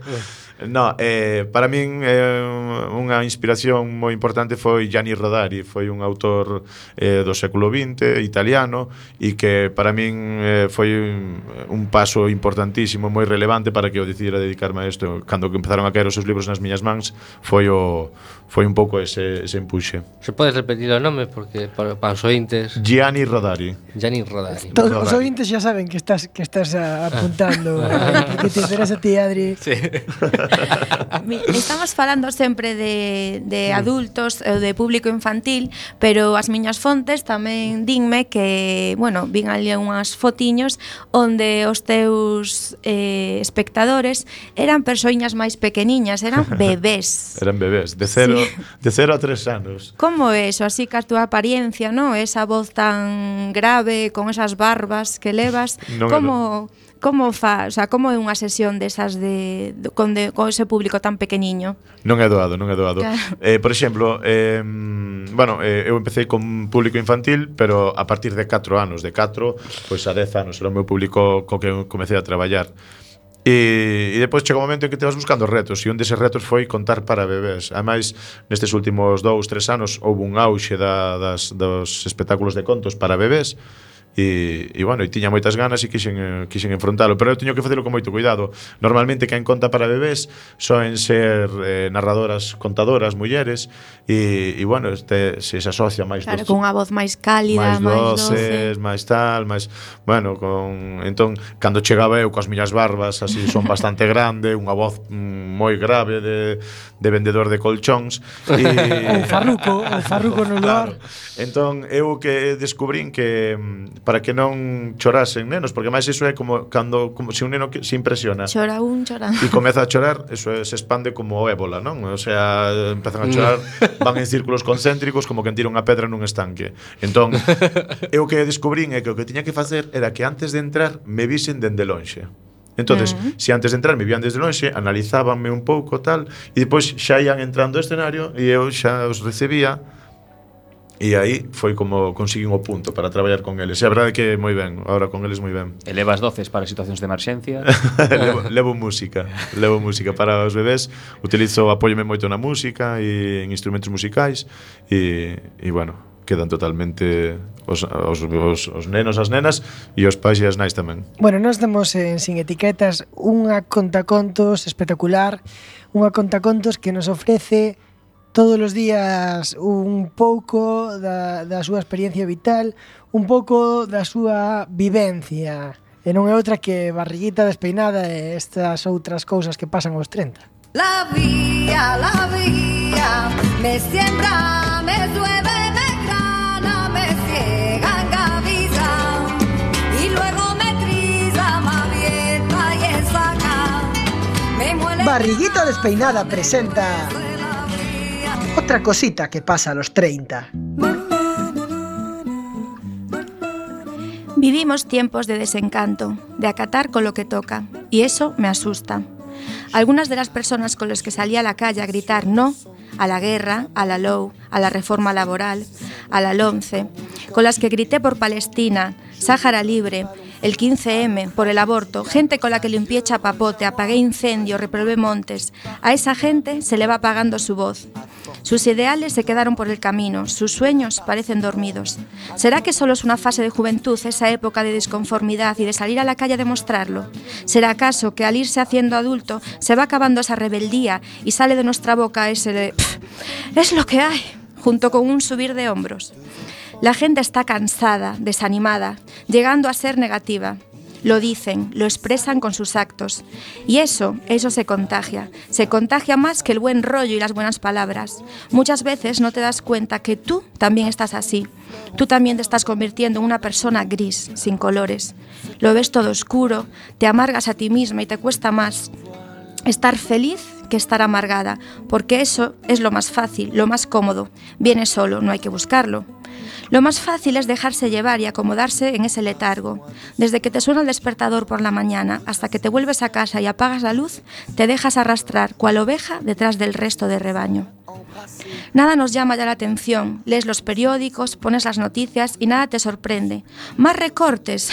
Speaker 4: No, eh, para min eh, unha inspiración moi importante foi Gianni Rodari, foi un autor eh, do século vinte, italiano, e que para min eh, foi un, un paso importantísimo, moi relevante para que eu decidira dedicarme a isto. Cando empezaron a caer os seus libros nas miñas mans, foi o foi un pouco ese, ese empuxe.
Speaker 2: Se podes repetir o nome porque para, para os ointes.
Speaker 4: Gianni Rodari.
Speaker 2: Gianni Rodari.
Speaker 1: Todos os ointes xa saben que estás que estás apuntando, eh, porque te interesa a ti, Adri.
Speaker 2: Sí.
Speaker 6: Estamos falando sempre de, de adultos ou de público infantil, pero as miñas fontes tamén dinme que, bueno, vin ali unhas fotiños onde os teus eh, espectadores eran persoiñas máis pequeniñas, eran bebés.
Speaker 4: Eran bebés, de cero, sí. de cero a tres anos.
Speaker 6: Como é eso? Así que a túa apariencia, ¿no? Esa voz tan grave, con esas barbas que levas, non como... Como fa, o sea, como é unha sesión desas de, de, con, de con ese público tan pequeniño?
Speaker 4: Non é doado, non é doado. Claro. Eh, por exemplo, eh, bueno, eh, eu empecé con público infantil, pero a partir de catro anos, de catro, pois a dez anos era o meu público co que comecei a traballar. E, e depois chegou un momento en que te vas buscando retos, e un deses retos foi contar para bebés. Ademais, nestes últimos dous, tres anos houve un auxe da, das, dos espectáculos de contos para bebés. E, e bueno, e tiña moitas ganas e quixen, quixen enfrontalo, pero eu teño que facelo con moito cuidado. Normalmente quen conta para bebés soen ser eh, narradoras, contadoras, mulleres, e, e bueno, este, se se asocia máis
Speaker 6: claro, con unha voz máis cálida,
Speaker 4: máis doces, máis tal, máis, bueno, con entón cando chegaba eu coas miñas barbas así son bastante grande, unha voz mm, moi grave de, de vendedor de colchóns e
Speaker 1: o farruco, o farruco no lugar.
Speaker 4: Claro. Entón eu que descubrín que para que non chorasen nenos, porque máis iso é como cando como se un neno que se impresiona.
Speaker 6: Chora un, chora.
Speaker 4: E comeza a chorar, eso é, se expande como o ébola, non? O sea, empezan a chorar, van en círculos concéntricos como quen tira unha pedra nun estanque. Entón, eu que descubrín é que o que tiña que facer era que antes de entrar me visen dende lonxe. Entonces,
Speaker 6: Mm.
Speaker 4: se antes de entrar me vían desde lonxe, analizábanme un pouco tal, e depois xa ian entrando ao escenario e eu xa os recibía. E aí foi como conseguín o punto para traballar con eles. E a verdade é que moi ben, ahora con eles moi ben.
Speaker 5: Elevas doces para situacións de emerxencia.
Speaker 4: levo, levo música, levo música para os bebés. Utilizo, apóyome moito na música e en instrumentos musicais e, e bueno, quedan totalmente os, os, os, os nenos, as nenas e os pais e as nais tamén.
Speaker 1: Bueno, nós temos en Sin Etiquetas unha contacontos espectacular, unha contacontos que nos ofrece todos os días un pouco da, da súa experiencia vital, un pouco da súa vivencia. E non é outra que Barriguita Despeinada e estas outras cousas que pasan aos treinta.
Speaker 8: La vía, la vía, me siembra, me llueve, me grana, me ciega, engaviza, y luego me trilla, me avienta y saca, me muele.
Speaker 1: Barriguita Despeinada presenta otra cosita que pasa a los treinta.
Speaker 6: Vivimos tiempos de desencanto, de acatar con lo que toca, y eso me asusta. Algunas de las personas con las que salí a la calle a gritar no a la guerra, a la L O U, a la reforma laboral, a la LOMCE, con las que grité por Palestina, Sáhara Libre, el quince eme, por el aborto, gente con la que limpié chapapote, apagué incendios, reprobé montes. A esa gente se le va apagando su voz. Sus ideales se quedaron por el camino, sus sueños parecen dormidos. ¿Será que solo es una fase de juventud, esa época de disconformidad y de salir a la calle a demostrarlo? ¿Será acaso que al irse haciendo adulto se va acabando esa rebeldía y sale de nuestra boca ese de "Pff, es lo que hay", junto con un subir de hombros? La gente está cansada, desanimada, llegando a ser negativa. Lo dicen, lo expresan con sus actos. Y eso, eso se contagia. Se contagia más que el buen rollo y las buenas palabras. Muchas veces no te das cuenta que tú también estás así. Tú también te estás convirtiendo en una persona gris, sin colores. Lo ves todo oscuro, te amargas a ti misma y te cuesta más estar feliz que estar amargada, porque eso es lo más fácil, lo más cómodo. Viene solo, no hay que buscarlo. Lo más fácil es dejarse llevar y acomodarse en ese letargo. Desde que te suena el despertador por la mañana hasta que te vuelves a casa y apagas la luz, te dejas arrastrar cual oveja detrás del resto del rebaño. Nada nos llama ya la atención, lees los periódicos, pones las noticias y nada te sorprende. Más recortes,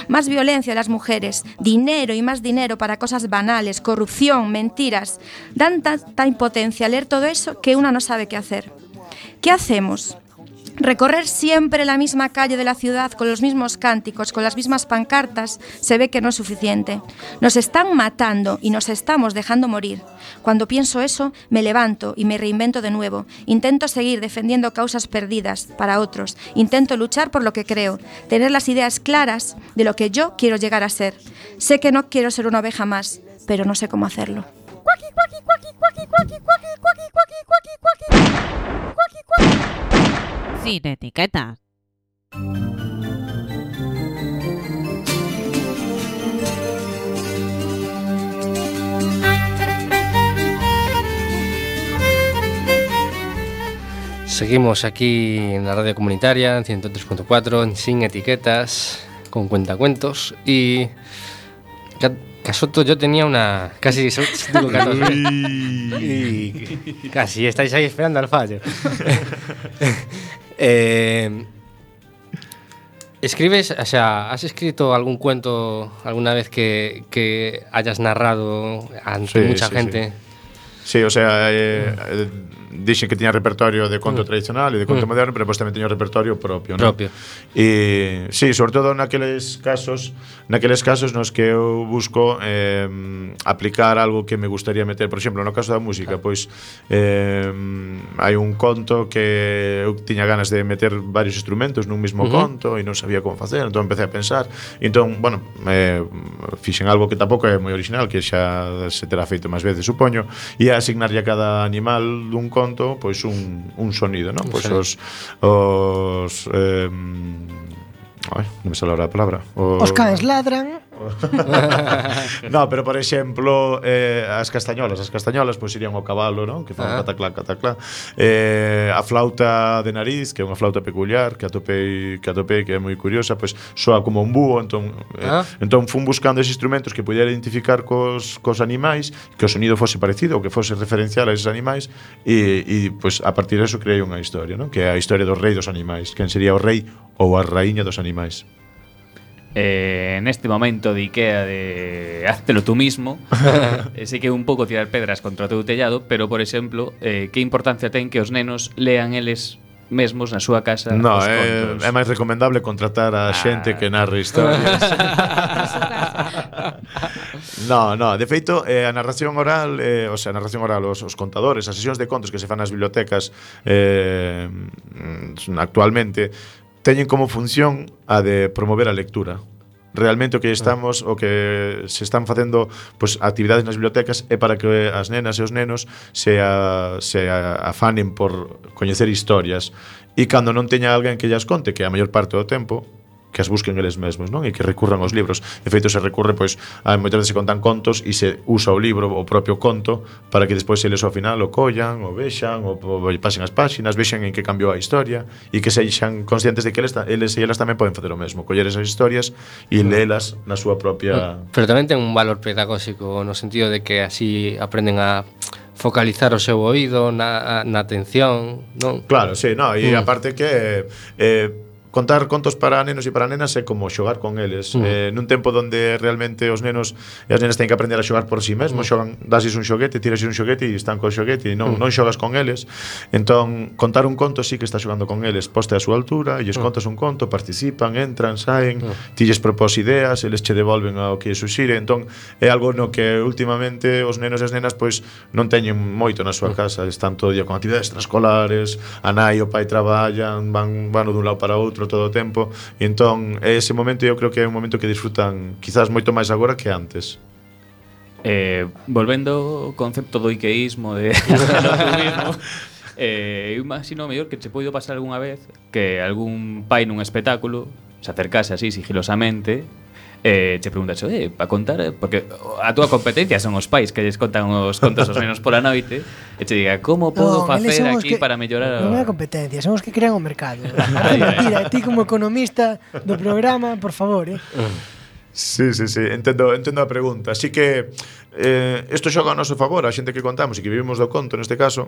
Speaker 6: más violencia de las mujeres, dinero y más dinero para cosas banales, corrupción, mentiras. Dan tanta impotencia leer todo eso que una no sabe qué hacer. ¿Qué hacemos? Recorrer siempre la misma calle de la ciudad con los mismos cánticos, con las mismas pancartas, se ve que no es suficiente. Nos están matando y nos estamos dejando morir. Cuando pienso eso, me levanto y me reinvento de nuevo. Intento seguir defendiendo causas perdidas para otros. Intento luchar por lo que creo, tener las ideas claras de lo que yo quiero llegar a ser. Sé que no quiero ser una oveja más, pero no sé cómo hacerlo.
Speaker 9: Sin etiquetas.
Speaker 2: Seguimos aquí en la radio comunitaria, en ciento tres punto cuatro, en Sin Etiquetas, con cuentacuentos. Y Casoto, yo tenía una... Casi digo catorce. Y casi estáis ahí esperando al fallo. eh, ¿Escribes, o sea, has escrito algún cuento alguna vez que, que hayas narrado ante
Speaker 4: Sí,
Speaker 2: mucha
Speaker 4: sí,
Speaker 2: gente?
Speaker 4: Sí. Sí, o sea, eh, eh, dixen que tiña repertorio de conto mm. tradicional e de conto mm. moderno, pero pues tamén teño repertorio propio, ¿no?
Speaker 2: Propio.
Speaker 4: E sí, sobre todo naqueles casos, naqueles casos nos que eu busco eh, aplicar algo que me gustaría meter, por exemplo, no caso da música, pois eh, hai un conto que eu tiña ganas de meter varios instrumentos nun mesmo uh-huh. conto e non sabía como facer, entón empecé a pensar, e entón, bueno, eh, fixen algo que tampouco é moi original, que xa se terá feito máis veces, supoño, e asignarlle a cada animal dun conto pois un, un sonido, non? Pois os os, eh, Ai, non me sale ahora a palabra. O...
Speaker 1: Os cans ladran.
Speaker 4: No, pero por exemplo, eh, as castañolas, as castañolas pois irían ao cabalo, non? Que fan
Speaker 2: Ah.
Speaker 4: cataclá, cataclá. Eh, a flauta de nariz, que é unha flauta peculiar, que atopei, que atopei que é moi curiosa, pois soa como un búho, entón eh,
Speaker 2: Ah.
Speaker 4: entón fun buscando eses instrumentos que pudiera identificar cos cos animais, que o sonido fose parecido ou que fose referencial a eses animais e e pois a partir de eso creei unha historia, non? Que é a historia do rei dos animais, quen sería o rei ou a raíña dos animais.
Speaker 5: Eh, en este momento de Ikea de háztelo tú mismo, eh, sei que é un pouco tirar pedras contra o teu tellado, pero por exemplo, eh, que importancia ten que os nenos lean eles mesmos na súa casa
Speaker 4: No,
Speaker 5: os
Speaker 4: é,
Speaker 5: contos?
Speaker 4: é máis recomendable contratar a xente que narre historias. No, no, de feito, eh, a narración oral, eh, o sea, a narración oral, os, os contadores, as sesións de contos que se fan nas bibliotecas eh, actualmente teñen como función a de promover a lectura. Realmente o que estamos o que se están facendo pois actividades nas bibliotecas é para que as nenas e os nenos se, a, se a, afanen por coñecer historias e cando non teña alguén que llas conte, que a maior parte do tempo que as busquen eles mesmos, non? E que recurran aos libros. De feito, se recurre, pois, a moitas veces se contan contos e se usa o libro, o propio conto, para que despois eles ao final o collan, o vexan, o, o pasen as páxinas, vexan en que cambiou a historia e que sexan conscientes de que eles, eles e elas tamén poden facer o mesmo, coller esas historias e leelas na súa propia...
Speaker 2: Pero tamén ten un valor pedagóxico no sentido de que así aprenden a focalizar o seu oído na, na atención, non?
Speaker 4: Claro, sí, no, e
Speaker 2: Mm.
Speaker 4: aparte que eh, contar contos para nenos e para nenas é como xogar con eles.
Speaker 2: Mm.
Speaker 4: Eh, nun tempo donde realmente os nenos e as nenas teñen que aprender a xogar por si sí mesmos,
Speaker 2: Mm.
Speaker 4: xogan, dases un xoguete, tiras un xoguete e están co xoguete e non,
Speaker 2: Mm.
Speaker 4: non xogas con eles. Entón, contar un conto sí que está xogando con eles, poste a súa altura, e lles
Speaker 2: Mm.
Speaker 4: contas un conto, participan, entran, saen,
Speaker 2: Mm.
Speaker 4: ti lles propós ideas, eles che devolven ao que suxire. Entón, é algo no que últimamente os nenos e as nenas pois non teñen moito na súa casa, están todo o día con actividades extraescolares, a nai e o pai traballan, van, van dun lado para outro todo o tempo, e entón ese momento eu creo que é un momento que disfrutan quizás moito máis agora que antes.
Speaker 5: Eh, volvendo ao concepto do iqueísmo de do eh, eu imagino mellor que che poido pasar algunha vez que algún pai nun espectáculo se acercase así sigilosamente eh, che preguntas, eh, para contar, porque a túa competencia son os pais que lles contan os contos aos nenos pola noite e che diga, como podo
Speaker 1: Non,
Speaker 5: facer
Speaker 1: eles son os
Speaker 5: aquí
Speaker 1: que-
Speaker 5: para mellorar
Speaker 1: Non é
Speaker 5: o...
Speaker 1: a competencia, son os que crean o mercado. Mentira, ti como economista do programa, por favor, eh.
Speaker 4: Sí, sí, sí, entendo, entendo a pregunta. Así que eh, isto xoga ao noso favor, a xente que contamos e que vivimos do conto neste caso,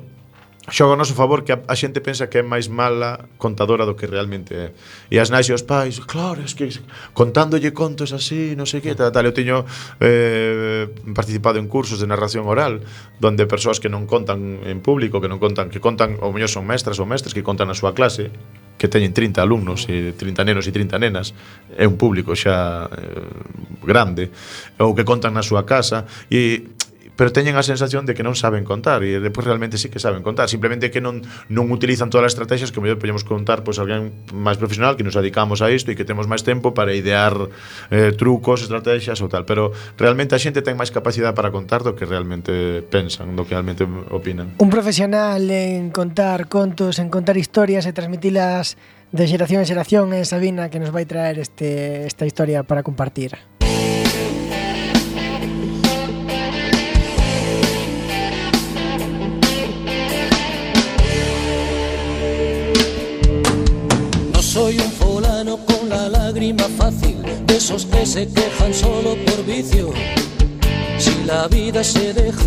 Speaker 4: xoga ao noso favor que a, a xente pensa que é máis mala contadora do que realmente é. E as nais e os pais, claro, es que contándolle contos así, non sei que, tal, tal. Eu teño eh, participado en cursos de narración oral donde persoas que non contan en público, que non contan, que contan, ou mellor son mestras ou mestres que contan na súa clase, que teñen trinta alumnos e trinta nenos e trinta nenas, é un público xa eh, grande, ou que contan na súa casa e pero teñen a sensación de que non saben contar e depois realmente sí que saben contar, simplemente que non non utilizan todas as estrategias que mellor podemos contar pois alguén máis profesional que nos dedicamos a isto e que temos máis tempo para idear eh, trucos, estrategias ou tal, pero realmente a xente ten máis capacidade para contar do que realmente pensan, do que realmente opinan.
Speaker 1: Un profesional en contar contos, en contar historias e transmitilas de xeración en xeración é Sabina, que nos vai traer este, esta historia para compartir.
Speaker 9: Soy un fulano con la lágrima fácil, de esos que se quejan solo por vicio. Si la vida se deja,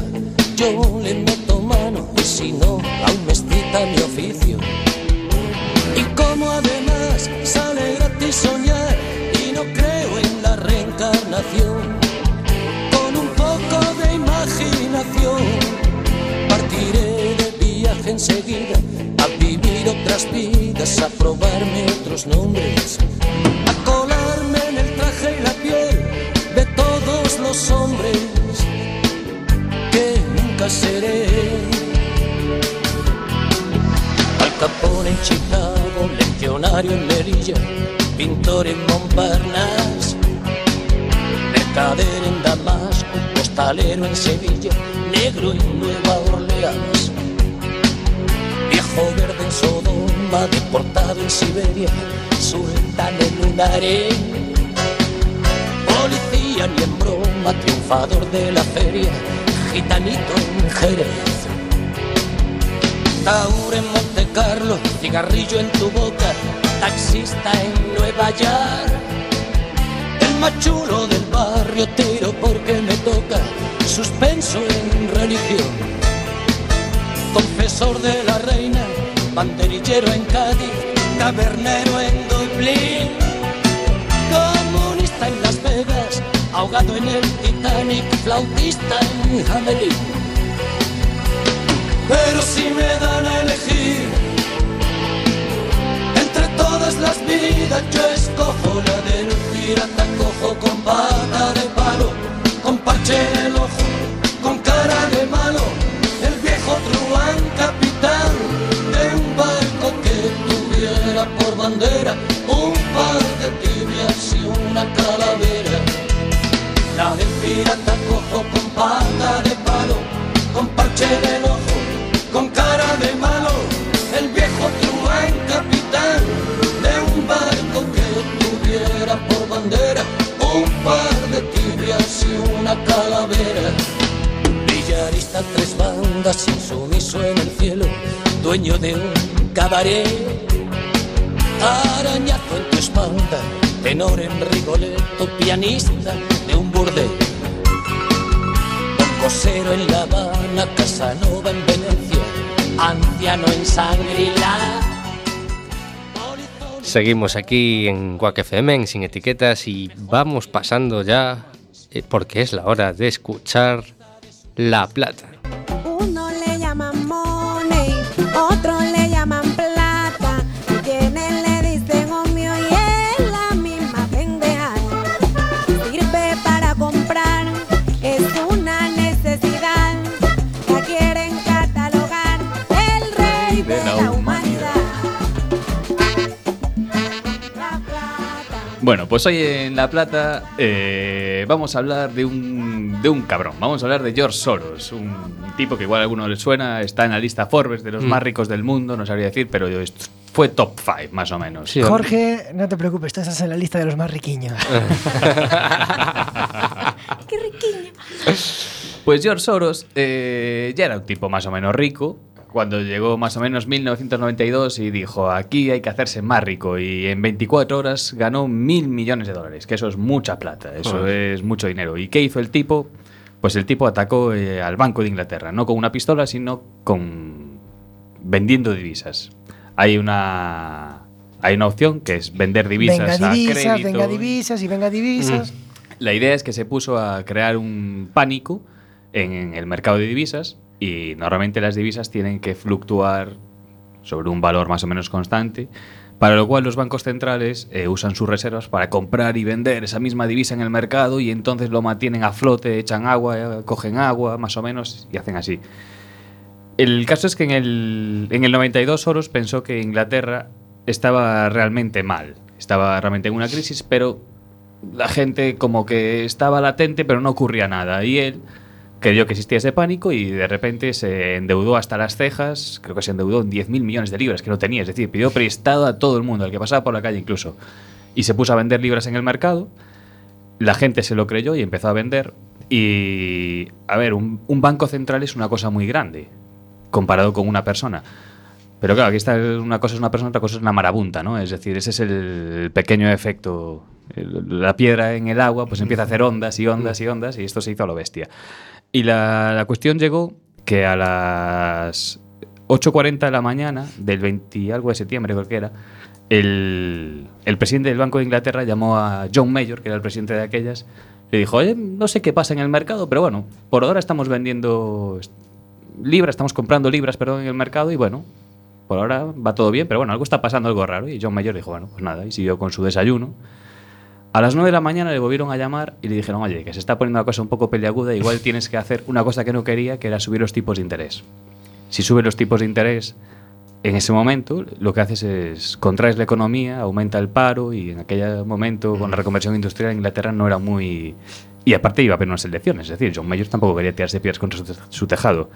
Speaker 9: yo le meto mano, y si no, aún me excita mi oficio. Y como además sale gratis soñar, y no creo en la reencarnación, con un poco de imaginación, partiré de viaje enseguida, a vivir otras vidas, a probarme otros nombres, a colarme en el traje y la piel de todos los hombres que nunca seré. Al Capone en Chicago, legionario en Melilla, pintor en Montparnasse, mercader en Damasco, postalero en Sevilla, negro en Nueva Orleans, viejo verde en Sodoma, deportado en Siberia, sultán en un harén. Policía ni en broma, triunfador de la feria, gitanito en Jerez. Taur en Monte Carlo, cigarrillo en tu boca, taxista en Nueva York. El más chulo del barrio, tiro porque me toca, suspenso en religión. Confesor de la reina, banderillero en Cádiz, tabernero en Dublín. Comunista en Las Vegas, ahogado en el Titanic, flautista en Hamelin. Pero si me dan a elegir entre todas las vidas, yo escojo la del pirata cojo con pata de palo, con parche en el ojo, con cara de malo, el viejo truán capitán de un barco que tuviera por bandera un par de tibias y una calavera. La del pirata cojo con pata de palo, con parche en el ojo, con cara de malo, el viejo truán capitán de un barco que tuviera por bandera un par de tibias y una calavera. Villarista, tres bandas, insumiso en el cielo, dueño de un cabaret. Arañazo en tu espalda, tenor en Rigoletto, pianista de un burdel. Cosero en La Habana, Casanova en Venecia, anciano en Shangri-La.
Speaker 2: Seguimos aquí en Quack F M, en Sin Etiquetas, y vamos pasando ya, eh, porque es la hora de escuchar La Plata.
Speaker 10: Uno le llaman money, otro le llaman plata, quienes le dicen omio y es la misma pendeja. Sirve para comprar, es una necesidad, la quieren catalogar el rey de la humanidad. La Plata.
Speaker 5: Bueno, pues hoy en La Plata eh, vamos a hablar de un, de un cabrón. Vamos a hablar de George Soros, un tipo que igual a alguno le suena, está en la lista Forbes de los mm. más ricos del mundo, no sabría decir, pero fue top cinco más o menos.
Speaker 1: Sí, Jorge, no te preocupes, tú estás en la lista de los más riquiños.
Speaker 6: ¡Qué riquiño!
Speaker 5: Pues George Soros eh, ya era un tipo más o menos rico cuando llegó más o menos mil novecientos noventa y dos y dijo, aquí hay que hacerse más rico, y en veinticuatro horas ganó mil millones de dólares, que eso es mucha plata, eso Joder. es mucho dinero. ¿Y qué hizo el tipo? Pues el tipo atacó eh, al Banco de Inglaterra, no con una pistola, sino con vendiendo divisas. Hay una hay una opción que es vender divisas,
Speaker 1: venga divisas
Speaker 5: a crédito.
Speaker 1: Venga divisas y venga divisas.
Speaker 5: Mm. La idea es que se puso a crear un pánico en el mercado de divisas, y normalmente las divisas tienen que fluctuar sobre un valor más o menos constante, para lo cual los bancos centrales eh, usan sus reservas para comprar y vender esa misma divisa en el mercado, y entonces lo mantienen a flote, echan agua, eh, cogen agua más o menos y hacen así. El caso es que en el, en el noventa y dos Soros pensó que Inglaterra estaba realmente mal, estaba realmente en una crisis, pero la gente como que estaba latente, pero no ocurría nada, y él creyó que existía ese pánico y de repente se endeudó hasta las cejas. Creo que se endeudó en diez mil millones de libras, que no tenía, es decir, pidió prestado a todo el mundo, al que pasaba por la calle incluso, y se puso a vender libras en el mercado. La gente se lo creyó y empezó a vender. Y, a ver, un, un banco central es una cosa muy grande comparado con una persona. Pero claro, aquí está una cosa es una persona, otra cosa es una marabunta, ¿no? Es decir, ese es el pequeño efecto. El, la piedra en el agua pues empieza a hacer ondas y ondas y ondas, y esto se hizo a lo bestia. Y la, la cuestión llegó que a las ocho cuarenta de la mañana del veinte algo de septiembre, creo que era, el, el presidente del Banco de Inglaterra llamó a John Major, que era el presidente de aquellas, le dijo, oye, no sé qué pasa en el mercado, pero bueno, por ahora estamos vendiendo libras, estamos comprando libras, perdón, en el mercado, y bueno, por ahora va todo bien, pero bueno, algo está pasando, algo raro. Y John Major dijo, bueno, pues nada, y siguió con su desayuno. A las nueve de la mañana le volvieron a llamar y le dijeron, oye, que se está poniendo una cosa un poco peliaguda, igual tienes que hacer una cosa que no quería, que era subir los tipos de interés. Si subes los tipos de interés en ese momento, lo que haces es contraes la economía, aumenta el paro, y en aquel momento, con la reconversión industrial en Inglaterra, no era muy... Y aparte iba a haber unas elecciones, es decir, John Major tampoco quería tirarse piedras contra su, te- su tejado.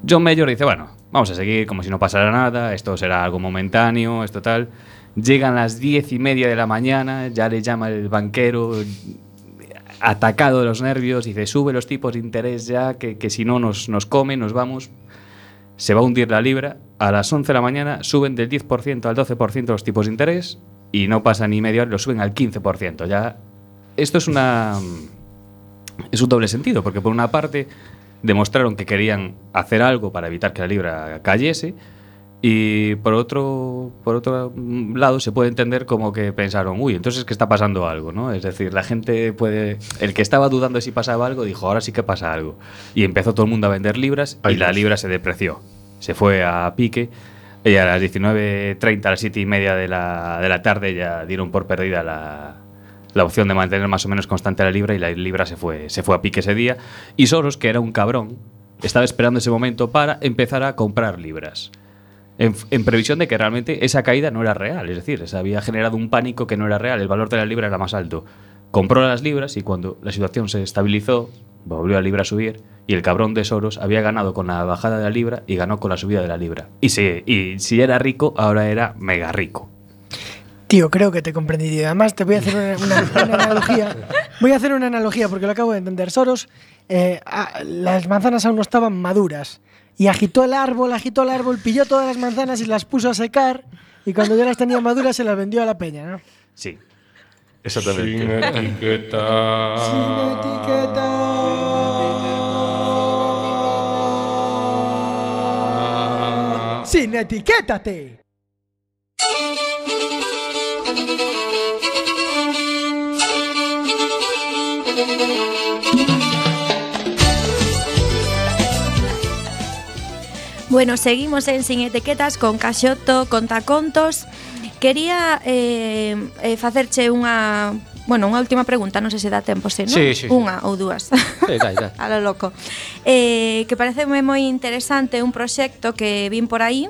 Speaker 5: John Mayer dice, bueno, vamos a seguir como si no pasara nada, esto será algo momentáneo, esto tal. Llegan las diez y media de la mañana, ya le llama el banquero, atacado de los nervios, dice, sube los tipos de interés ya, que, que si no nos, nos comen, nos vamos. Se va a hundir la libra. A las once de la mañana suben del diez por ciento al doce por ciento los tipos de interés y no pasa ni media hora, lo suben al quince por ciento. Ya, esto es una... es un doble sentido, porque por una parte demostraron que querían hacer algo para evitar que la libra cayese, y por otro, por otro lado se puede entender como que pensaron, uy, entonces es que está pasando algo, ¿no? Es decir, la gente puede... El que estaba dudando de si pasaba algo dijo, ahora sí que pasa algo. Y empezó todo el mundo a vender libras y la libra se depreció. Se fue a pique y a las diecinueve treinta, a las siete y media de la, de la tarde ya dieron por perdida la, la opción de mantener más o menos constante la libra y la libra se fue, se fue a pique ese día. Y Soros, que era un cabrón, estaba esperando ese momento para empezar a comprar libras. En, en previsión de que realmente esa caída no era real, es decir, se había generado un pánico que no era real, el valor de la libra era más alto. Compró las libras y cuando la situación se estabilizó, volvió la libra a subir y el cabrón de Soros había ganado con la bajada de la libra y ganó con la subida de la libra. Y si, y si era rico, ahora era mega rico.
Speaker 1: Tío, creo que te he comprendido. Además, te voy a hacer una, una, una analogía. Voy a hacer una analogía porque lo acabo de entender. Soros, eh, a, las manzanas aún no estaban maduras. Y agitó el árbol, agitó el árbol, pilló todas las manzanas y las puso a secar. Y cuando ya las tenía maduras se las vendió a la peña, ¿no?
Speaker 5: Sí.
Speaker 4: Exactamente.
Speaker 2: Sin etiqueta.
Speaker 1: Sin etiqueta. Sin etiquétate.
Speaker 6: Bueno, seguimos en Sin Etiquetas con Caxoto Contacontos. Quería eh, eh, facerche unha, bueno, unha última pregunta, non sei se dá tempo, se, non?
Speaker 2: Sí, sí, sí.
Speaker 6: Unha ou dúas.
Speaker 2: Sí, dai, dai.
Speaker 6: A lo loco. Eh, que pareceme moi interesante un proxecto que vin por aí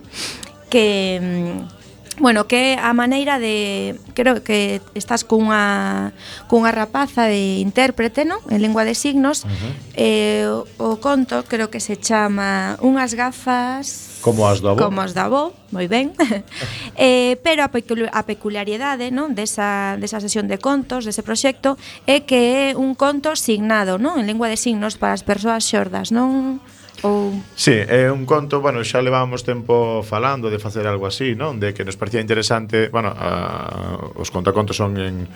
Speaker 6: que mm, bueno, que a maneira de... Creo que estás cunha, cunha rapaza de intérprete, non? En lingua de signos. Uh-huh. eh, o conto creo que se chama Unhas gafas...
Speaker 4: Como as do avó.
Speaker 6: Como as do avó, moi ben. eh, pero a, pecul a peculiaridade, non? Desa, desa sesión de contos, dese proxecto, é que é un conto signado, non? En lingua de signos para as persoas xordas, non? Ou...
Speaker 4: Sí, é un conto, bueno, xa levábamos tempo falando de facer algo así, non? De que nos parecía interesante, bueno, a, os contacontos son en,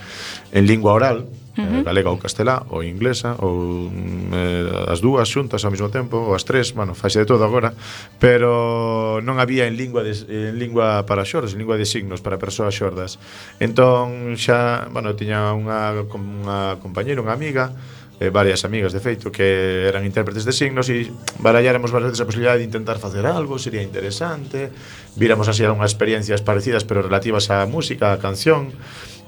Speaker 4: en lingua oral, uh-huh. eh, galega ou castelá, ou inglesa, ou eh, as dúas xuntas ao mesmo tempo, ou as tres, bueno, faise de todo agora, pero non había en lingua de, en lingua para xordas, en lingua de signos para persoas xordas. Entón xa, bueno, tiña unha, unha compañera, unha amiga, Eh, varias amigas de feito que eran intérpretes de signos e baralláramos varias veces a posibilidade de intentar facer algo, sería interesante, víramos así algunhas experiencias parecidas pero relativas á música, á canción,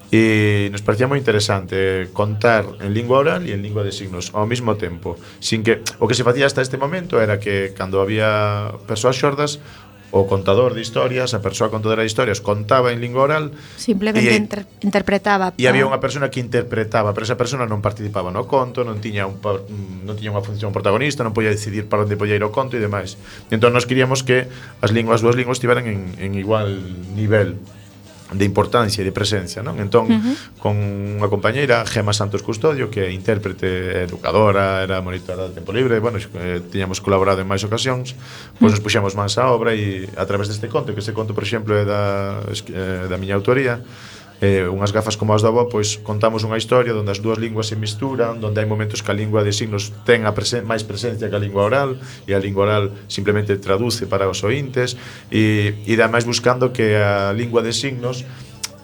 Speaker 4: e nos parecía moi interesante contar en lingua oral e en lingua de signos ao mesmo tempo, sin que o que se facía hasta este momento era que cando había persoas xordas, o contador de historias, a persoa contadora de historias contaba en lingua oral,
Speaker 6: simplemente
Speaker 4: e,
Speaker 6: inter interpretaba.
Speaker 4: E había unha persona que interpretaba, pero esa persona non participaba no conto, non tiña un non tiña unha función protagonista, non podía decidir para onde podía ir o conto e demais. Entón nós queríamos que as linguas, as dúas linguas estiveran en, en igual nivel de importancia e de presencia, non? Entón, uh-huh. con unha compañeira, Gema Santos Custodio, que é intérprete, educadora, era monitora de tempo libre, bueno, eh, tiñamos colaborado en máis ocasións, pois nos puxemos máis á obra e a través deste conto, que este conto, por exemplo, é da, eh, da miña autoría, eh, unhas gafas como as do avó, pois contamos unha historia onde as dúas linguas se misturan, onde hai momentos que a lingua de signos ten a presen máis presencia que a lingua oral e a lingua oral simplemente traduce para os ointes e, e ademais buscando que a lingua de signos,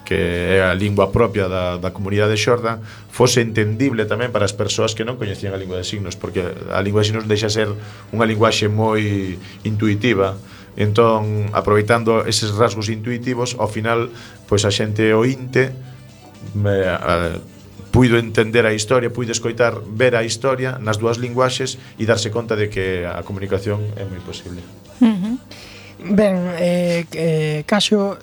Speaker 4: que é a lingua propia da, da comunidade xorda, fose entendible tamén para as persoas que non coñecían a lingua de signos, porque a lingua de signos deixa ser unha linguaxe moi intuitiva. Entón, aproveitando eses rasgos intuitivos, ao final, pois a xente ointe me, a, puido entender a historia, puido escoitar, ver a historia nas dúas linguaxes e darse conta de que a comunicación é moi posible.
Speaker 1: Uh-huh. Ben, eh, eh, Caxo,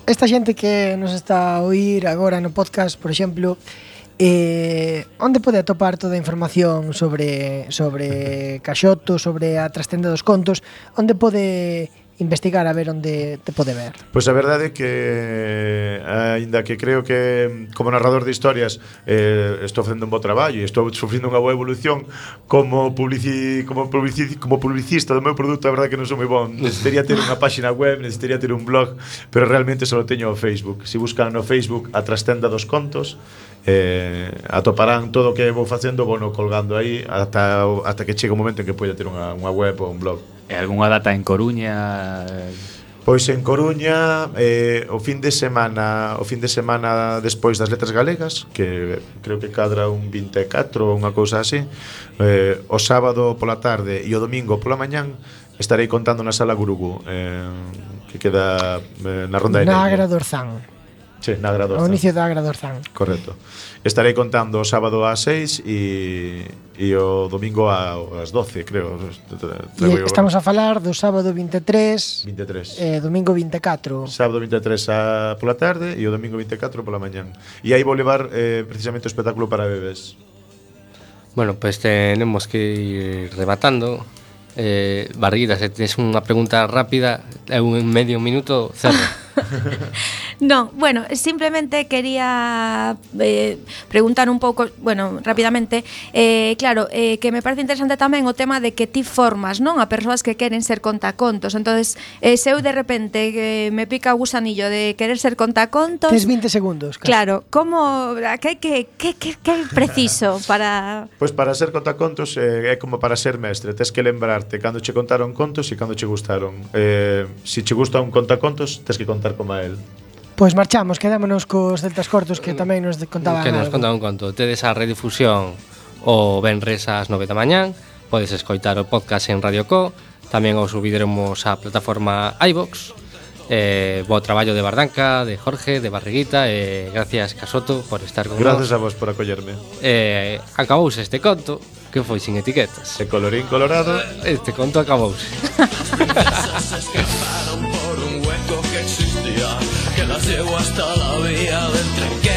Speaker 1: esta xente que nos está a oír agora no podcast, por exemplo, Eh, onde pode atopar toda a información sobre sobre Caxoto, sobre a trastenda dos contos? Onde pode investigar a ver onde te pode ver?
Speaker 4: Pois a verdade é que aínda que creo que como narrador de historias eh, estou facendo un bo traballo e estou sufrindo unha boa evolución como publici, como publici, como publicista do meu produto, a verdade é que non sou moi bon. Necesitaría ter unha páxina web, necesitaría ter un blog, pero realmente só teño o Facebook. Se buscan no Facebook a trastenda dos contos, eh, atoparán todo o que vou facendo, vou no colgando aí ata, ata que chegue o momento en que poida ter unha, unha web ou un blog.
Speaker 5: E algunha data en Coruña?
Speaker 4: Pois en Coruña eh, o fin de semana o fin de semana despois das Letras Galegas, que creo que cadra un vinte e catro ou unha cousa así, eh, o sábado pola tarde e o domingo pola mañán estarei contando na Sala Gurugú, eh, que queda eh, na Ronda de
Speaker 1: Na
Speaker 4: Nelle.
Speaker 1: Agra do Orzán.
Speaker 4: Sí, na Agra do
Speaker 1: Ao
Speaker 4: Orzán.
Speaker 1: inicio da Agra do Orzán.
Speaker 4: Correcto. Estarei contando o sábado ás seis e, e o domingo ás doce, creo.
Speaker 1: E estamos a falar do sábado vinte e tres,
Speaker 4: vinte e tres.
Speaker 1: E domingo vinte e catro.
Speaker 4: Sábado vinte e tres a, pola tarde e o domingo vinte e catro pola mañán. E aí vou levar eh, precisamente o espectáculo para bebés.
Speaker 2: Bueno, pues tenemos que ir rematando. Eh, Barriguita, se tienes unha pregunta rápida, é un medio minuto, cerro.
Speaker 6: No, bueno, simplemente quería eh, preguntar un pouco, bueno, rapidamente, eh, claro, eh, que me parece interesante tamén o tema de que ti formas, non, a persoas que queren ser contacontos. Entonces, eh, se eu de repente eh, me pica o gusanillo de querer ser contacontos,
Speaker 1: Tes vinte segundos. Casi.
Speaker 6: Claro, como que que que que que é preciso para
Speaker 4: Pois para ser contacontos eh, é como para ser mestre, tes que lembrarte cando che contaron contos e cando che gustaron. Eh, se che gusta un contacontos, tes que contar como a él.
Speaker 1: Pois marchamos, quedámonos cos celtas cortos que tamén nos contaban
Speaker 2: Que nos
Speaker 1: algo.
Speaker 2: conta un conto. Tedes a redifusión o venres ás nove da mañán. Podes escoitar o podcast en Radio Co. Tamén o subiremos á plataforma iVox. Eh, bo traballo de Bardanca, de Jorge, de Barriguita. E eh, gracias, Casoto, por estar con
Speaker 4: Gracias
Speaker 2: nós.
Speaker 4: a vos por acollerme.
Speaker 2: Eh, acabouse este conto, que foi sin etiquetas.
Speaker 4: De colorín colorado.
Speaker 2: Este conto acabouse.
Speaker 3: Se escaparon por un hueco que existía, que las llevó hasta la vía del tren que